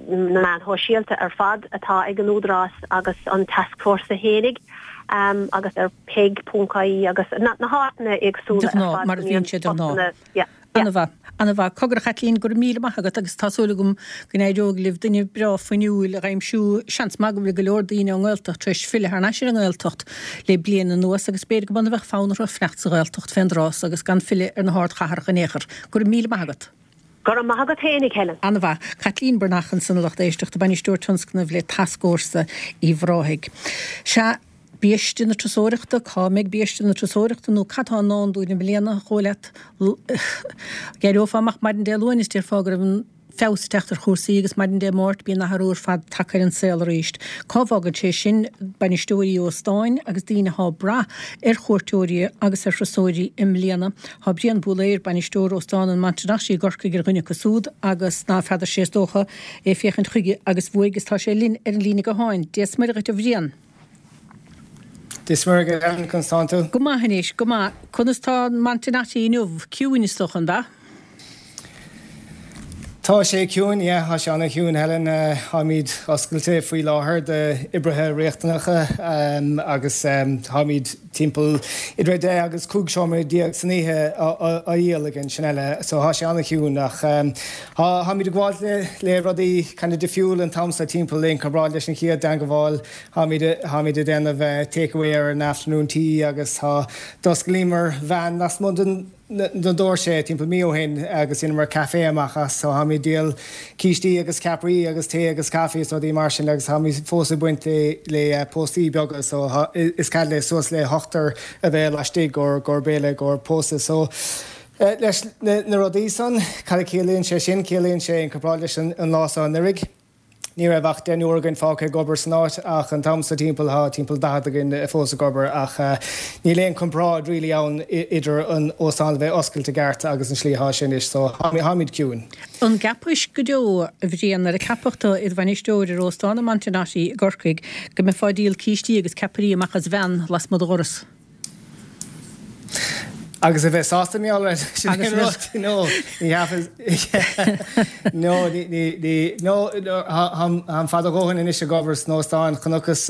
na meáin shóisialta ar fad atá ag an Údarás agus an Tascfhórsa fhéinig agus ar peig.ie agus na háiteanna éagsúla ar fad mar a bhíonn sé de ghnáth. Ana-mhaith. Ana-mhaith. Cogar a Chaitlín, go raibh míle maith agat agus tá súil agam go n-éireoidh libh duine breá fuinniúil a dh'aimsiú. Seans maith go bhfuil go leor daoine ón nGaeltacht tar éis filleadh thar n-ais ar an nGaeltacht le bliain anuas agus b'fhéidir go mb'ionann a bheadh fonn orthu fanacht sa Ghaeltacht fén dtráth so agus gan filleadh ar na hardchathracha in aon chor. Go raibh míle maith agat. Go raibh maith agat féinig, Helen. An-mhaith. Caitlín Breathnach ansan a lucht éisteachta, Bainisteoir Tionscnaimh le Tascfhórsa Uíbh Ráthaigh. Sea, biaiste na turasóireachta, cá mbeidh biaiste na turasóireachta nó cad tá i ndán dúinn i mbliana, a dhóigh leat? D'éireofá amach maidin Dé Luain is déarfá go raibh an feabhas ag teacht ar chúrsaí agus maidin Dé Máirt bíonn athrú ar fad tagtha ar an saol arís. Cá bhfágann sé sin bainisteoirí óstáin agus daoine atá ag brath ar chuairteoirí agus ar thurasóirí i mbliana? Tá Brian Búlaeir, bainisteoir Óstán an Montenotte i gCorcaigh ar dhuine acu súd agus ná feadar sé is dócha é féachaint chuige agus bhuaidh is tá sé linn ar an líne gutháin. Dia 's Muire dhuit a Bhriain. Dia 's Muire dhuit Helen, conas tánn tú? Go maith anois, go maith. Conas tá an Montenotte inniu? Ciúin is dócha, an ea? Tá sé ciúin, yeah, tá sé ana-chiúin Helen. Táimid oscailte faoi láthair d'oibrithe riachtanacha agus táimid timpeall idir 10 agus 15 seomra san oíche á dhíol againn, sin eile. So tá sé ana-chiúin ach táimid ag gabháil le le rudaí kind of difriúil an t-am seo timpeall in comparáid leis an chéad teangmháil. Táimid táimid ag déanamh take away ar an afternoon tea agus tá d'osclaíomar veain lasmuigh den na doirse timpeall mí ó shin agus dheineamar café amach as so táimid ag díol cístí agus ceapairí agus tae agus caife is rudaí mar sin agus táimid fós ag baint le le póstaí beaga so is cead le suas le hochtar a bheith laistigh i gcomhair béile i gcomhair pósadh so leis na rudaí san cad a ciallaíonn sé sin ciallaíonn sé in comparáid leis an lá seo anuraidh. Ní raibh ach deichniúr againn fágtha ag obair san áit ach an t-am seo timpeall tá timpeall 40 againn fós ag obair ach níl aon comparáid really ann idir an óstán a bheith oscailte i gceart agus an slí atá sé anois so táimid ciúin. An gceapais go deo, a Bhriain, nuair a ceapadh tú i do bhainisteoir ar Óstán an Montenotte i gCorcaigh go mbeifeá ag díol cístí agus ceapairí amach as veain lasmuigh de dhoras? Agus a bheith sásta mar gheall air sin an rud, no, ní cheapfas, no, ní, ní, ní, no, táim fada a dhóthain anois ag obair san óstán, chonacthas,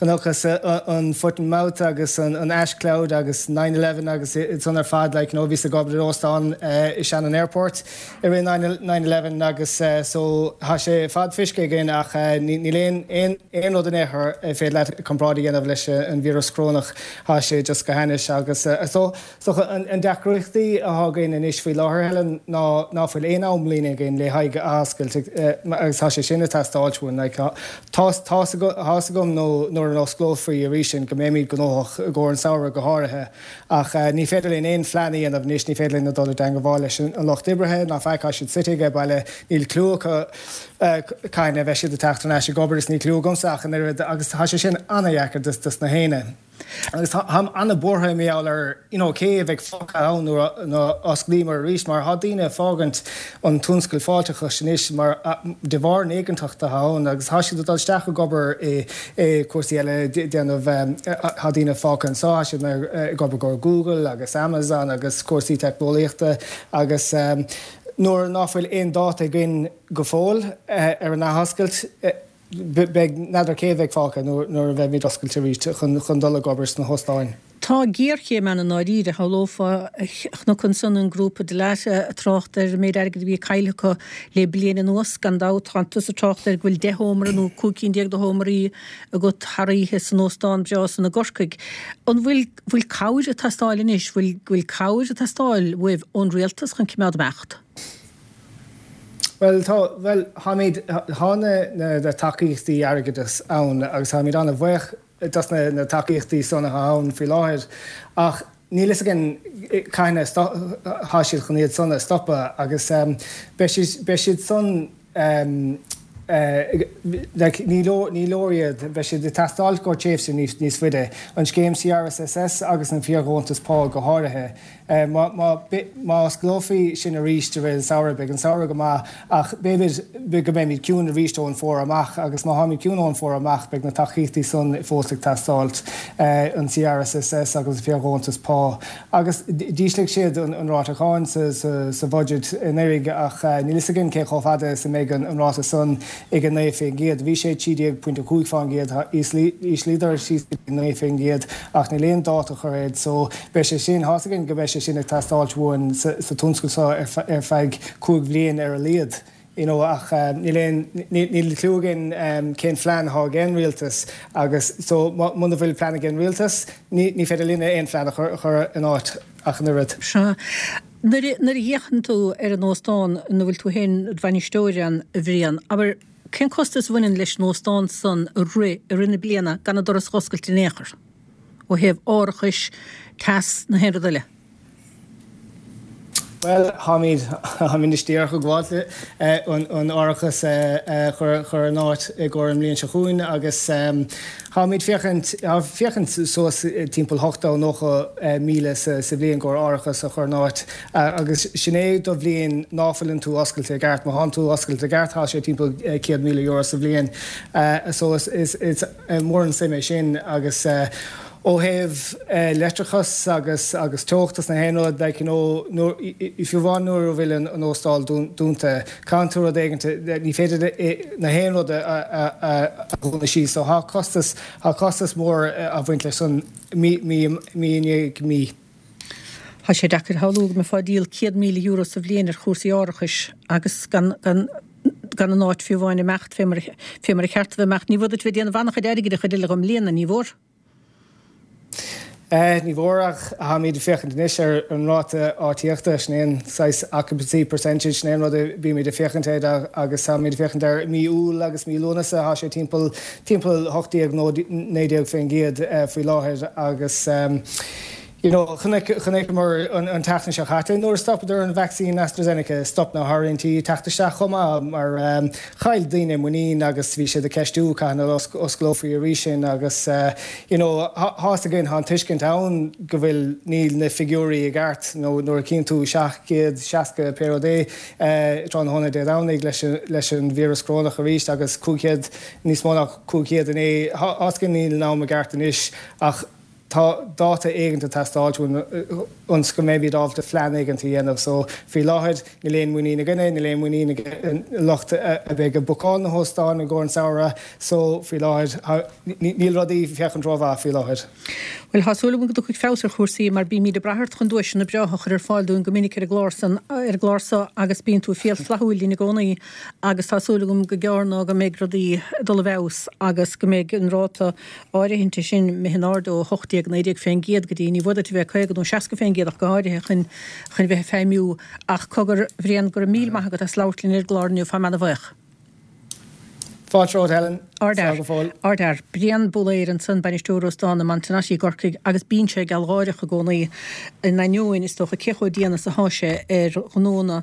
chonacthas an foot and mouth agus an ash cloud agus 9/11 agus san ar fad, like, you know, bhíos ag obair in óstán i Shannon Airport i rith 9/11 agus so tá sé fad feiscithe againn ach níl aon, aon, aon rud in aon chor ar féidir leat comparáid a dhéanamh leis an víreas corónach, tá sé just go hainnis agus so so an deacrachtaí atá againn anois faoi láthair Helen ná ná fuil aon amlíne againn le haghaidh athoscailt agus tá sé sin ag teastáilt uainn like tá tá's agam nó nuair a osclófaí arís sin go mbeimid gnóthach i gcomhair an samhradh go háirithe ach ní féidir linn aon phlean a dhéanamh anois ní féidir linn a dul i dteangmháil leis an lucht oibrithe ná faic tá siad suite aige baile níl clue acu cathain a bheidh siad ag teacht thar n-ais ag obair is níl cliú agamsa ach an oiread agus tá sé sin ana-dheacair dos na héinne. Agus táim ana-buartha mar gheall ar you know cé a bheidh fágtha ann nuair a osclaíomar arís mar tá daoine ag fágaint an tionscal fáilteachais anois mar de bharr an éiginnteacht atá ann agus tá siad ag dul isteach ag obair i i cúrsaí eile déanamh tá daoine fágtha anseo tá siad ag obair go Google agus Amazon agus cúrsaí teicneolaíochta agus nuair ná fuil aon dáta againn go fóill ar an athoscailt. Beidh, n'fheadar cé a bheidh fágtha nuair a bheimid oscailte arís chun dul ag obair sna hóstáin. Tá géarchéim ann i ndáiríre. Shamhlófá, chonac ansan an grúpa Dalata ag trácht ar an méid airgid a bhí caillte acu le bliain anuas. Gan dabht, tá tusa ag trácht ar go bhfuil 10 sheomra nó 15 cinn de sheomraí agat thar oíche san óstán breá san i gCorcaigh. An bhfuil, bhfuil cabhair ag teastáil anois? Bhfuil, bhfuil cabhair ag teastáil uaibh ón rialtas chun cimeád imeacht? Bhuel, tá, bhuel, táimid, tá na, na tacaíochtaí airgeadais ann agus táimid an-bhuíoch dos na, na tacaíochtaí san atá ann faoi láthair ach níl fhios againn cathain a tá siad chun iad san a stopadh agus beidh siad, beidh siad san. Like, ní leor, ní leor iad. Beidh siad ag teastáilt i gcomhair tréimhse níos, níos faide. An scéim CRSSS agus an fíordheontas pá go háirithe. Má, má, má osclófaí sin arís i rith an samhradh, beidh an samhradh go maith ach b'fhéidir go mbeimid ciúin arís ón bhfómhar amach agus má tháimid ciúin ón bhfómhar amach beidh na tacaíochtaí san fós ag teastáilt, an CRSSS agus an fíordheontas pá. Agus d'ísligh siad an ráta cáin sa bhuiséad anuraidh ach níl fhios againn cé chomh fada is a mbeidh an ráta san ag 9%. Bhí sé 13.5%, d'íslíodar síos go dtí 9% ach níl aon dáta curtha air so beidh sé sin, tá's againn go mbeidh sé sin ag teastáilt uainn sa tionscal seo ar feadh 5 bhliain ar a laghad. you know ach níl aon, níl cliú againn cén phlean atá ag an rialtas agus so muna bhfuil plean ag an rialtas ní, ní féidir linne aon phlean a chur in áit ach an oiread. Sea. Nuair a, nuair a fhéachann tú ar an óstán ina bhfuil tú féin i do bhainisteoir ann, a Bhriain, abair, cén costas a bhaineann leis an óstán san a rith i rith na bliana gan an doras a dh'oscailt in aon chor, ó thaobh árachais, teas, na haon rud eile? Bhuel, táimid, táimid anois díreach ag gabháilt an árachas a chur in áit i gcomhair an mbliain seo chugainn agus táimid féachaint, féachaint suas timpeall 80, 90 míle sa bhliain i gcomhair árachas a chur in áit agus sin é do bhliain ná fuileann tú oscailte i gceart. Má thánn tú oscailte i gceart tá sé timpeall €100,000 sa bhliain. So is, is mór an suim é sin agus. Ó thaobh leictreachas agus agus teocht is na haon rud, like you know, nuair, fiú amháin nuair a bhfuil an óstáil dúnta, caitheann tú rud éigint, ní féidir na haon rud a a dhúnadh síos. So tá costas, tá costas mór a bhaint leis san mí, mí, mí i ndiaidh mí. Tá sé deacair a shamhlú go mbeifeá ag díol €100,000 sa bhliain ar chúrsaí árachais agus gan, gan, gan an áit fiú amháin imeacht fé mar, fé mar a cheart a bheith imeacht. Ní mhór duit bheith ag déanamh an-chuid airgid an chuid eile den mbliana, ní mhór? Ní mhór ach táimid ag féachaint anois ar an ráta áitíochta, sin é an saghas occupancy percentage, sin é an rud a bímid ag féachaint air agus táimid ag féachaint ar mí Iúil agus mí Lúnasa, tá sé timpeall, timpeall 18 nó 19% faoi láthair agus you know chonaic, chonaiceamar an tseachtain seo caite nuair a stopadar an vacsaín AstraZeneca, stop na háirithintí ag teacht isteach chomh maith mar chaill daoine muinín agus bhí siad ag ceistiú cathain a osclófaí arís sin agus you know tá's againn, tá an tuiscint ann go bhfuil, níl na figiúirí i gceart nó nuair a chíonn tú 760 pé rud é tráthnóna Dé Domhnaigh leis an víreas corónach arís agus 500, níos mó ná 500 inné, tá's againn níl an am i gceart anois ach tá dáta éigint ag teastáilt uainn ionas go mbeimid ábalta phlean éigint a dhéanamh. So, faoi láthair, níl aon muinín againne, níl aon muinín ag an lucht a bheidh ag bookáil na hóstáin i gcomhair an samhradh. So, faoi láthair, níl rudaí ag féachaint rómhaith faoi láthair. Bhuel, tá súil agam go dtiocfaidh feabhas ar chúrsaí mar bímid ag brath ort chun duaiseanna breátha a chur ar fáil dúinn go minic ar an gclár san, ar an gclár so agus bíonn tú fial flaithiúil linn i gcónaí agus tá súil agam go gearr ná go mbeidh rudaí ag dul i bhfeabhas agus go mbeidh an ráta áirithinte sin imithe in airde ó 18, 19% go dtí, ní mhór duit a bheith 50 nó 60% ach go háirithe chun chun bheith ag feidhmiú. Ach cogar, a Bhriain, go raibh míle maith agat as labhairt linn ar an gclár inniu, táim ana-bhuíoch. Fáilte romhat, Helen. Ardfhear. Slán go fóill. Ardfhear. Brian Búlaeir ansan, bainisteoir óstán i Montenotte i gCorcaigh agus bíonn sé gealgháireach i gcónaí in ainneoin, is dócha, cé chomh dian is atá sé ar ghnónna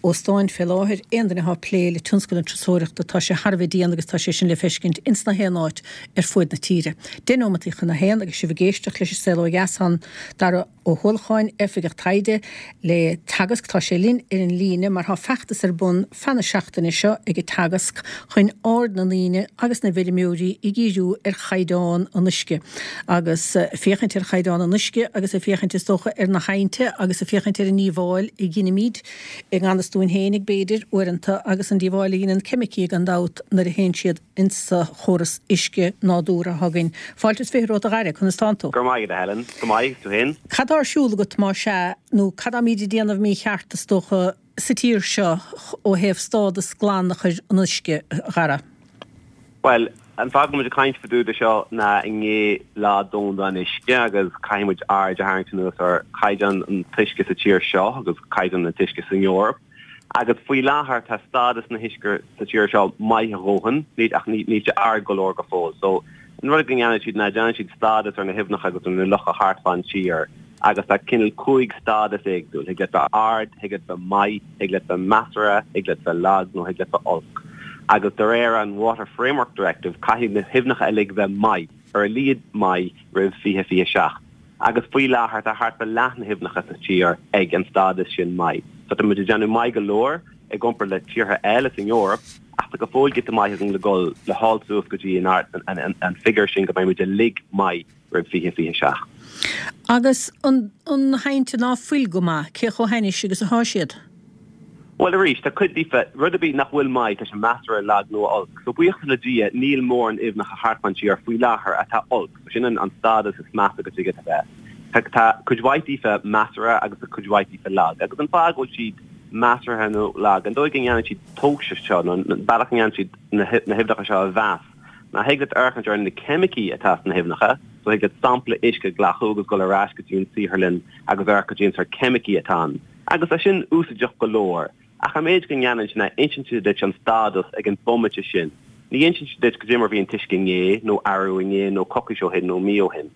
óstáin fé láthair. Aon duine atá ag plé le tionscal na turasóireachta, tá sé thar a bheith dian agus tá sé sin le feiscint ins na haon áit ar fuaid na tíre. Deich nóimeataí chun a haon agus sibh ag éisteacht leis an Saol Ó Dheas tá Dara Ó hUallacháin, Oifigeach Taighde le Teagasc. Tá sé linn ar an líne mar tá feachtas ar bun feadh na seachtaine seo ag Teagasc chun aird na ndaoine agus na bhfeirmeoirí a dhíriú ar chaighdeán an uisce agus féachaint ar chaighdeán an uisce agus ag féachaint is dócha ar na haibhnte agus ag féachaint ar an ndíobháil a dheinimid i ngan fhios dúinn féinig b'fhéidir uaireanta agus an díobháil a dheineann ceimicí gan dabht nuair a théann siad insa chóras uisce nádúrtha atá againn. Fáilte is 20 romhat a Dhara, conas tánn tú? Go raibh maith agat a Helen, go maith, tú féin? Cad tá ar siúl agat más ea, nó cad táimíd ag déanamh mícheart is dócha sa tír seo ó thaobh stádas glan a chur an uisce, a Dhara? Bhuel, an fáth go bhfuil muid ag caint fá dtaobh de seo ná i ndiaidh Lá Domhanda an Uisce agus caithfidh muid aird a tharraingt anuas ar chaighdeán an t-uisce sa tír seo agus caighdeán an t-uisce san Eoraip. Agus faoi láthair tá stádas na huisce sa tír seo maith a dhóthain, ach níl sé ard go leor go fóill. So, an rud go ndéanann siad ná déanann siad stádas ar na haibhneacha agus ar na locha thart fán tír agus tá cineál 5 stádas éagsúil, thig leat bheith ard, thig leat bheith maith, thig leat bheith measartha, thig leat bheith lag nó thig leat bheith olc. Agus de réir an Water Framework Directive caithfidh na haibhneacha uilig bheith maith, ar a laghad maith, roimh 2027. Agus faoi láthair tá thart fá leath na haibhneacha sa tír ag an stádas sin maith. So tá muid ag déanamh maith go leor i gcomparáid le tíortha eile san Eoraip ach tá go fóill giota maith againn le dhul le dhul suas go dtí an an figiúr sin go mbeidh muid uilig maith roimh 2027. Agus an na haibhnte ná fuil go maith, cé chomh hainnis agus atá siad? Bhuel arís, tá cuid díofa, rud ar bith nach bhfuil maith, tá sé measartha, lag nó olc. So buíochas le Dia, níl mórán aibhneacha thart fán tír faoi láthair atá olc. So sin an stádas is measa go dtig leat a bheith. Tá, tá cuid mhaith díofa measartha agus tá cuid mhaith díofa lag. Agus an fáth go bhfuil siad measartha nó lag, an dóigh go ndéanann siad tomhas seo, nó an bealach a ndéanann siad na, na haibhneacha seo a mheas, ná thig leat féachaint ar na ceimicí atá sna haibhneacha, so thig leat sampla uisce a ghlacadh agus dul ar ais go dtí an saotharlann agus amharc cad é an sórt ceimicí atá ann. Agus tá sin úsáideach go leor, ach an méid go ndéanann sé ná insíonn sé duit an stádas ag an bomaite sin. Ní insíonn sé duit cad é mar bhí an t-uisce inné, nó arú inné, nó coicís ó shin, nó mí ó shin.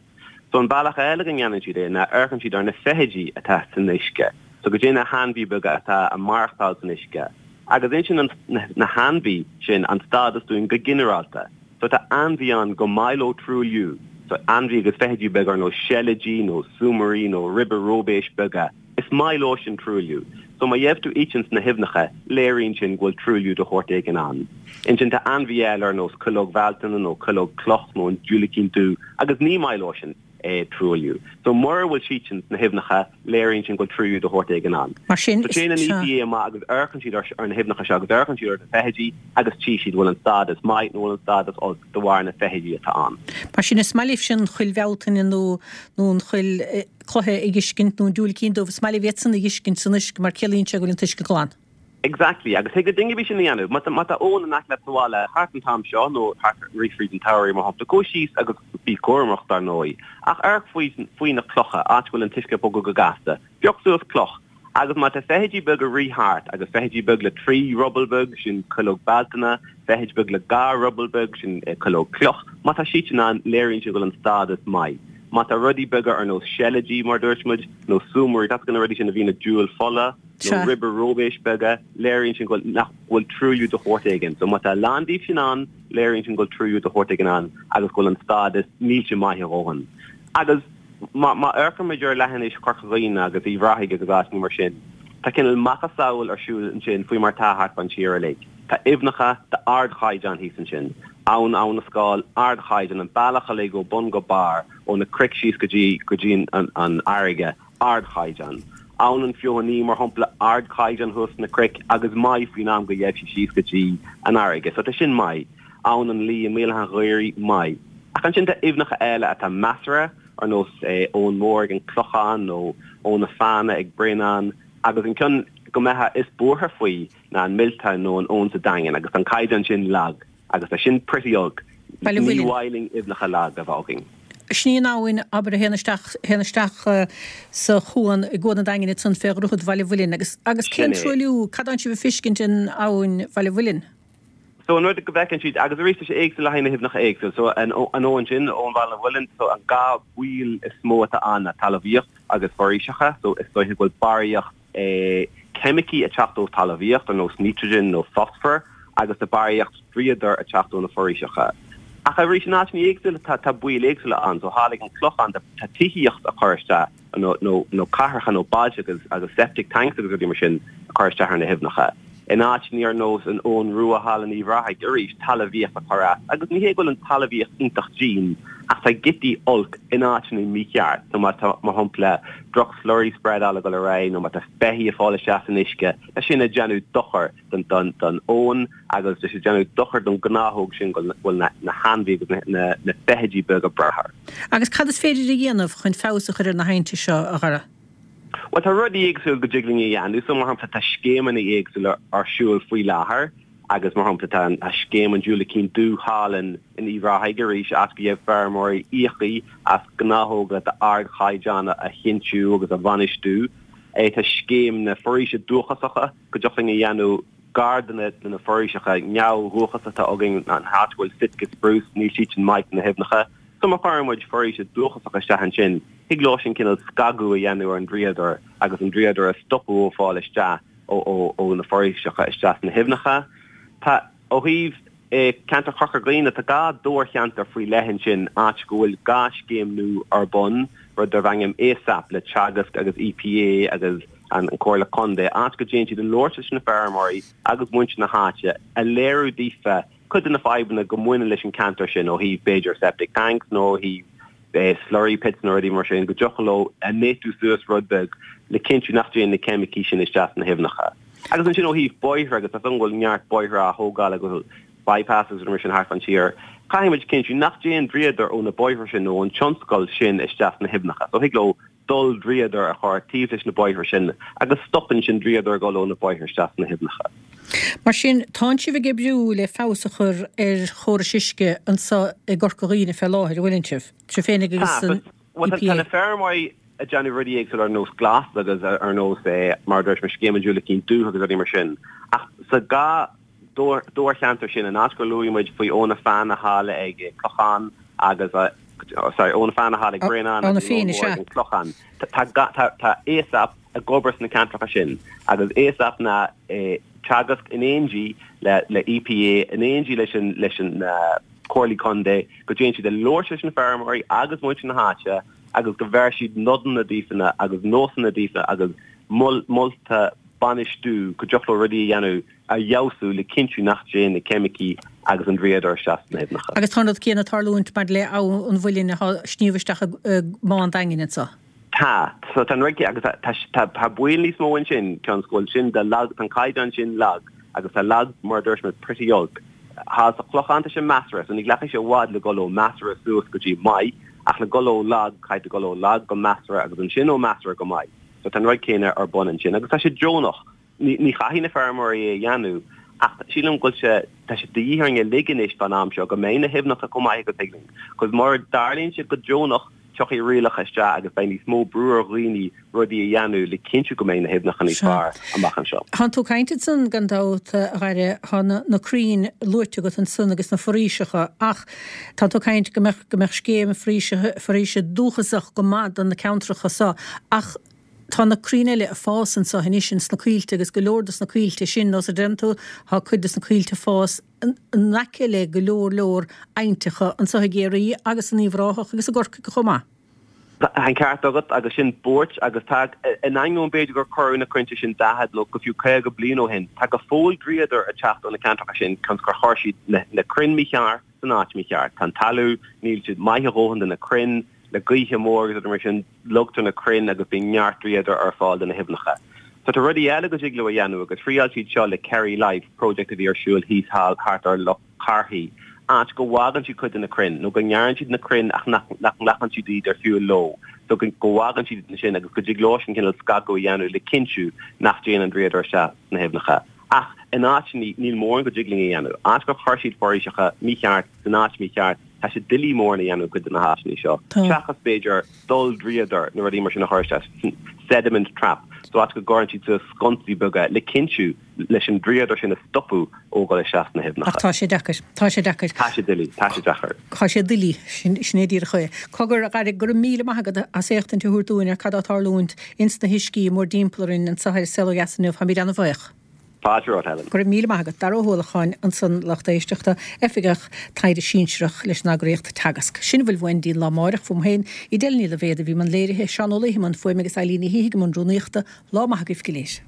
So an bealach eile go ndéanann siad é ná amharcann siad ar na feithidí atá san uisce, so cad é na hainmhí beaga atá ag maireachtáil san uisce. Agus insíonn na hainmhí sin an stádas dúinn go ginearálta. So tá ainmhí ann go maith leo truailliú, so ainmhí agus feithidí beaga ar nós seilidí nó súmairí nó ribe róibéis beaga, is maith leo sin truailliú. So má gheibh tú iad sin sna haibhneacha, léiríonn sin go bhfuil truailliú de shórt éigin ann. Ansin tá ainmhí eile ar nós cuileog Bhealtaine nó cuileog cloch nó an diúilicín dubh agus ní maith leo sin truailliú. So mura bhfuil siad sin sna haibhneacha, léiríonn sin go bhfuil truailliú de shórt éigin ann. Mar sin, So téann an EPA amach agus amharcann siad ar na haibhneacha seo agus amharcann siad ar na feithidí agus tchí siad bhfuil an stádas maith nó bhfuil an stádas olc de bharr na feithidí atá ann. Mar sin, is maith libhse an chuil Bhealtaine nó nó an chuil cloiche a fheiscint nó an diúilicín dubh, is maith libh iadsan a fheiscint san uisce mar ciallaíonn sé go bhfuil an t-uisce glan. Exactly, agus thig le duine ar bith sin a dhéanamh. Má tá, má tá abhainn in aice leat sa bhaile thart an t-am seo, nó thart ag rith fríd an tsamhraidh mar shampla, gabh síos agus bí cúramach dar ndóigh, ach amharc faoi, faoi na clocha, áit a bhfuil an t-uisce ag bogadh go gasta. Pioc suas cloch, agus má tá feithidí beaga ag rith thart, agus feithidí beag le 3 ruball beag, sin cuileog Bealtaine, feithid beag le 2 ruball beag, sin cuileog cloch, má tá siad sin ann, léiríonn sé go bhfuil an stádas maith. Má tá rudaí beaga ar nós seilidí, mar a dúirt muid, nó súmairí, tá a fhios agat na rudaí sin a bhíonn ag diúl fola, nó ribe róibéis beaga, léiríonn sin go bhfuil, nach bhfuil truailliú de shórt éigin. So má tá a lán díobh sin ann, léiríonn sin go bhfuil truailliú de shórt éigin ann agus go bhfuil an stádas millte maith a dhóthain. Agus má, má amharcann muid ar leithinis Chorca Dhuibhne agus Uíbh Ráthaigh agus áiteanna mar sin, tá cineál macasamhail ar siúl ansin faoi mar atá thart fán tír uilig. Tá aibhneacha d'ardchaighdeán thíos ansin. Abhainn Abha na Scáil, ardchaighdeán, an bealach uilig ó bun go barr, ó na cnoic síos go dtí, go dtí an, an fharraige. ardchaighdeán. Abhainn an Feothanaí, mar shampla, ardchaighdeán thuas sna cnoic agus maith faoin am go gheibh sí síos go dtí an fharraige. So tá sin maith. Abhainn an Laoi i mBéal Átha an Ghaorthaidh, maith. Ach ansin tá aibhneacha eile atá measartha, ar nós Abhainn Mhór ag an Clochán nó Abhainn na Feadhna ag Bréanainn agus an ceann go mbeifeá is buartha faoi ná an Milltown nó an abhainn sa Daingean agus tá an caighdeán sin lag. Agus tá sin pretty olc. Baile Ní mhaith linn aibhneacha lag a bheith againn. Sin í an abhainn, abair, a théann isteach, théann isteach sa chuan, i gCuan an Daingin ansan fé dhroichead Bhaile Mhuilinn. Agus, agus Sin cén é. truailliú, cad atánn sibh a feiscint in abhainn Bhaile Mhuilinn? So an rud go bhfeiceann siad, agus arís tá sé éagsúil le haghaidh na haibhneacha éagsúil, so an, an abhainn sin, abhainn Bhaile Mhuilinn, so an dá bhaol is mó atá ann ná talmhaíocht agus foraoiseacha, so is dóiche go bhfuil barraíocht, ceimicí ag teacht ó talmhaíocht, ar nós nítrigin nó fosfar, agus tá barraíocht dríodair ag teacht ó na foraoiseacha. Ach arís, in áiteanna éagsúla tá tá baol éagsúla ann. So thall ag an Clochán tá tá tithíocht á cur isteach nó nó nó cathracha nó bailte agus agus septic tanks agus rudaí mar sin a cur isteach ar na haibhneacha. In áiteanna ar nós an Abhainn Rua thall in Uíbh Ráthaigh, arís, talmhaíocht á cur as. Agus ní hé go bhfuil an talmhaíocht iontach dian, ach tá giotaí olc in áiteanna mícheart. So má tá, mar shampla, droch-slurry spreadáil ag dul ar aghaidh nó má tá beithígh ag fáil isteach san uisce, tá sin ag déanamh dochar don don abhainn agus tá sé ag déanamh dochar don ghnáthóg sin go bhfuil na na hainmhí agus na na feithidí beaga ag brath air. Agus cad is féidir a dhéanamh chun feabhas a chur ar na haibhnte seo, a Dhara? Bhuel, tá rudaí éagsúla go dtig linn a dhéanamh. So, mar shampla, tá scéimeanna éagsúla ar siúl faoi láthair agus, mar shampla, tá an scéim an Diúilicín Dubh thall in Uíbh Ráthaigh arís, áit go gheibh feirmeoirí íoctha as gnáthóga d'ardchaighdeán a chinntiú agus a bhainistiú. Tá scéim na foraoise dúchasacha go dtiocfadh linn a dhéanamh gar do na foraoiseacha neamhdhúchasacha atá againn, an áit go bhfuil Sitka spruce, níl siad sin maith do na haibhneacha. So má chuireann muid foraoise dúchasach isteach ansin, thig leo sin cineál scagadh a dhéanamh ar an dríodar agus an dríodar a stopadh ó fáil isteach ó na foraoiseacha isteach sna haibhneacha. Tá. Ó thaobh ceantar Chorca Dhuibhne, tá dhá dobharcheantar faoi leith ansin, áit go bhfuil dhá scéim nua ar bun, rud darb ainm ASAP le Teagasc agus EPA agus an Comhairle Contae, áit go dtéann siad ag labhairt leis na feirmeoirí agus muintir na háite, a léiriú daofa cuid de na fadhbanna go mbaineann leis an ceantar sin ó thaobh b'fhéidir septic tanks nó ó thaobh slurry pits nó rudaí mar sin, go dtiocfadh leo a néatú suas rud beag le cinntiú nach dtéann na ceimicí sin isteach sna haibhneacha. Agus ansin ó thaobh bóithre, agus tá 's agam go bhfuil neart bóithre á thógáil agus go bhfuil bypasses agus rudaí mar sin thart fán tír, caithfidh muid cinntiú nach dtéann dríodar ó na bóithre sin nó ón tionscal sin isteach sna haibhneacha. So thig leo dul dríodar a chur taobh leis na bóithre sin agus stopann sin dríodar ag dul ó na bóithre isteach sna haibhneacha. Mar sin, tánn sibh ag oibriú le feabhas a chur ar chórais uisce anso i gCorca Dhuibhne fé láthair, an bhfuileann sibh? Sibh féinig agus an EPA. Tá na feirmeoirí ag déanamh rudaí éagsúla ar nós glas agus ar nós mar a dúirt mé scéim an Diúilicín Dubh agus rudaí mar sin ach sa dhá dobharcheantar sin, an áit gur luaigh muid faoi Abha na Feadhna thall ag Clochán agus sorry Abha na Feadhna thall ag Bréanán agus an Abhainn Mhór ag an Clochán. Tá ASAP ag obair sna ceantracha sin agus ASAP ná Teagasc in éindí le le EPA in éindí leis an leis an Comhairlí Contae go dtéann siad ag labhairt leis na feirmeoirí agus muintir na háite agus go bheir siad nodanna daofa agus nósanna daofa agus molta bainistiú go dtiocfadh leo rudaí a dhéanamh a fheabhsú le cinntiú nach dtéann na ceimicí agus an dríodar isteach sna haibhneacha. Agus tá an rud céanna ag tarlúint maidir le Abha an Mhuilinn atá ag sníomh isteach i mBá an Daingin anso. Tá. So tá an rud céanna agus tá tá tá baol níos mó ansin cionn is go bhfuil sin de lag tá an caighdeán sin lag agus tá lag mar a dúirt mé pretty olc. Thall sa Chlochán tá sé measartha so ní ghlacfaidh sé i bhfad le dhul ó measartha suas go dtí maith ach le dhul ó lag caithfidh tú dhul ó lag go measartha agus ansin ó measartha go maith. So tá an rud céanna ar bun ansin agus tá sé deonach. Ní chaithfidh na feirmeoirí é a dhéanamh ach sílim go bhfuil sé, tá sé de dhíth orainn uilig anois fán am seo go mbeidh na haibhneacha chomh maith agus thig linn. 'Cause mura dtarlaíonn sé go deonach tiocfaidh rialacha isteach agus beidh níos mó brú ar dhaoine rudaí a dhéanamh le cinntiú go mbeidh na haibhneacha níos fearr amach anseo. Tánn tú ag caint ansan gan dabht, a Dhaire, tá na crainn luaite agat ansan agus na foraoiseacha ach tánn tú ag caint go mbeadh, go mbeadh scéim foraoise, foraoise dúchasach go maith do na ceantracha so ach Tá na crainn eile ag fás anso anois ins na coillte agus go leor dos na coillte sin, nós a deireann tú, tá cuid dos na coillte ag fás in aice le go leor leor aibhnteacha anso i gCiarraí agus in Uíbh Ráthach agus i gCorcaigh chomh maith. Tá an ceart agat agus sin buairt agus tá, in ainneoin b'fhéidir gur cuireadh na crainnte sin 40 nó go fiú 50 bliain ó shin, tá go fóill dríodar ag teacht ó na ceantracha sin cionn is gur chuir siad na crainn mícheart san áit mícheart. Tá an talamh, níl siad maith a dhóthain do na crainn, le gaoithe mór agus rudaí mar sin, logtar na crainn agus bíonn neart dríodair ar fáil do na haibhneacha. So tá rudaí eile go dtig leo a dhéanamh agus thriáil siad seo le Kerry Life, project a bhí ar siúl thíos thall thart ar Loch Carthaí, áit go bhfágann siad cuid de na crainn, nó go ngearrann siad na crainn ach nach nglacann siad iad ar shiúl leo, so go bhfágann siad iad ansin agus go dtig leo sin cineál scagadh a dhéanamh le cinntiú nach dtéann an dríodar isteach sna haibhneacha. Ach in áiteanna níl mórán go dtig linn a dhéanamh. Áit gur chuir siad foraoiseacha mícheart san áit mícheart, tá sé doiligh mórán a dhéanamh i gcuid de na háiteanna seo, seachas b'fhéidir dul dríodar nó rudaí mar sin a chur isteach, sediment trap, so áit go gcuireann siad suas sconsaí beaga le cinntiú leis an dríodar sin a stopadh ó dhul isteach sna haibhneacha. Ach tá sé deacair. Tá sé deacair. Tá sé doiligh. Tá sé deacair. Tá sé doiligh. Sin é díreach é. Cogar, a Dhaire, go raibh míle maith agat as éachtaint a thabhairt dúinn ar cad á tarlúint ins na huiscí mórdtimpeall orainn anso ar An Saol Ó Dheas inniu. Táimid ana-bhuíoch. Fáilte romhat, Helen. Go raibh míle maith agat. Dara Ó hUallacháin ansan, lucht éisteachta, Oifigeach Taighde Sinsearach leis an eagraíocht Teagasc. Sin a bhfuil uainn go dtí an lá amáireach, fúm féin, Edel Ní Loibhéad a bhí i mbun léirithe, Seán Ó Laoithe i mbun fuaime agus Eileen Ní Shíthigh i mbun rúnaíochta. Lá maith agaibh go léir.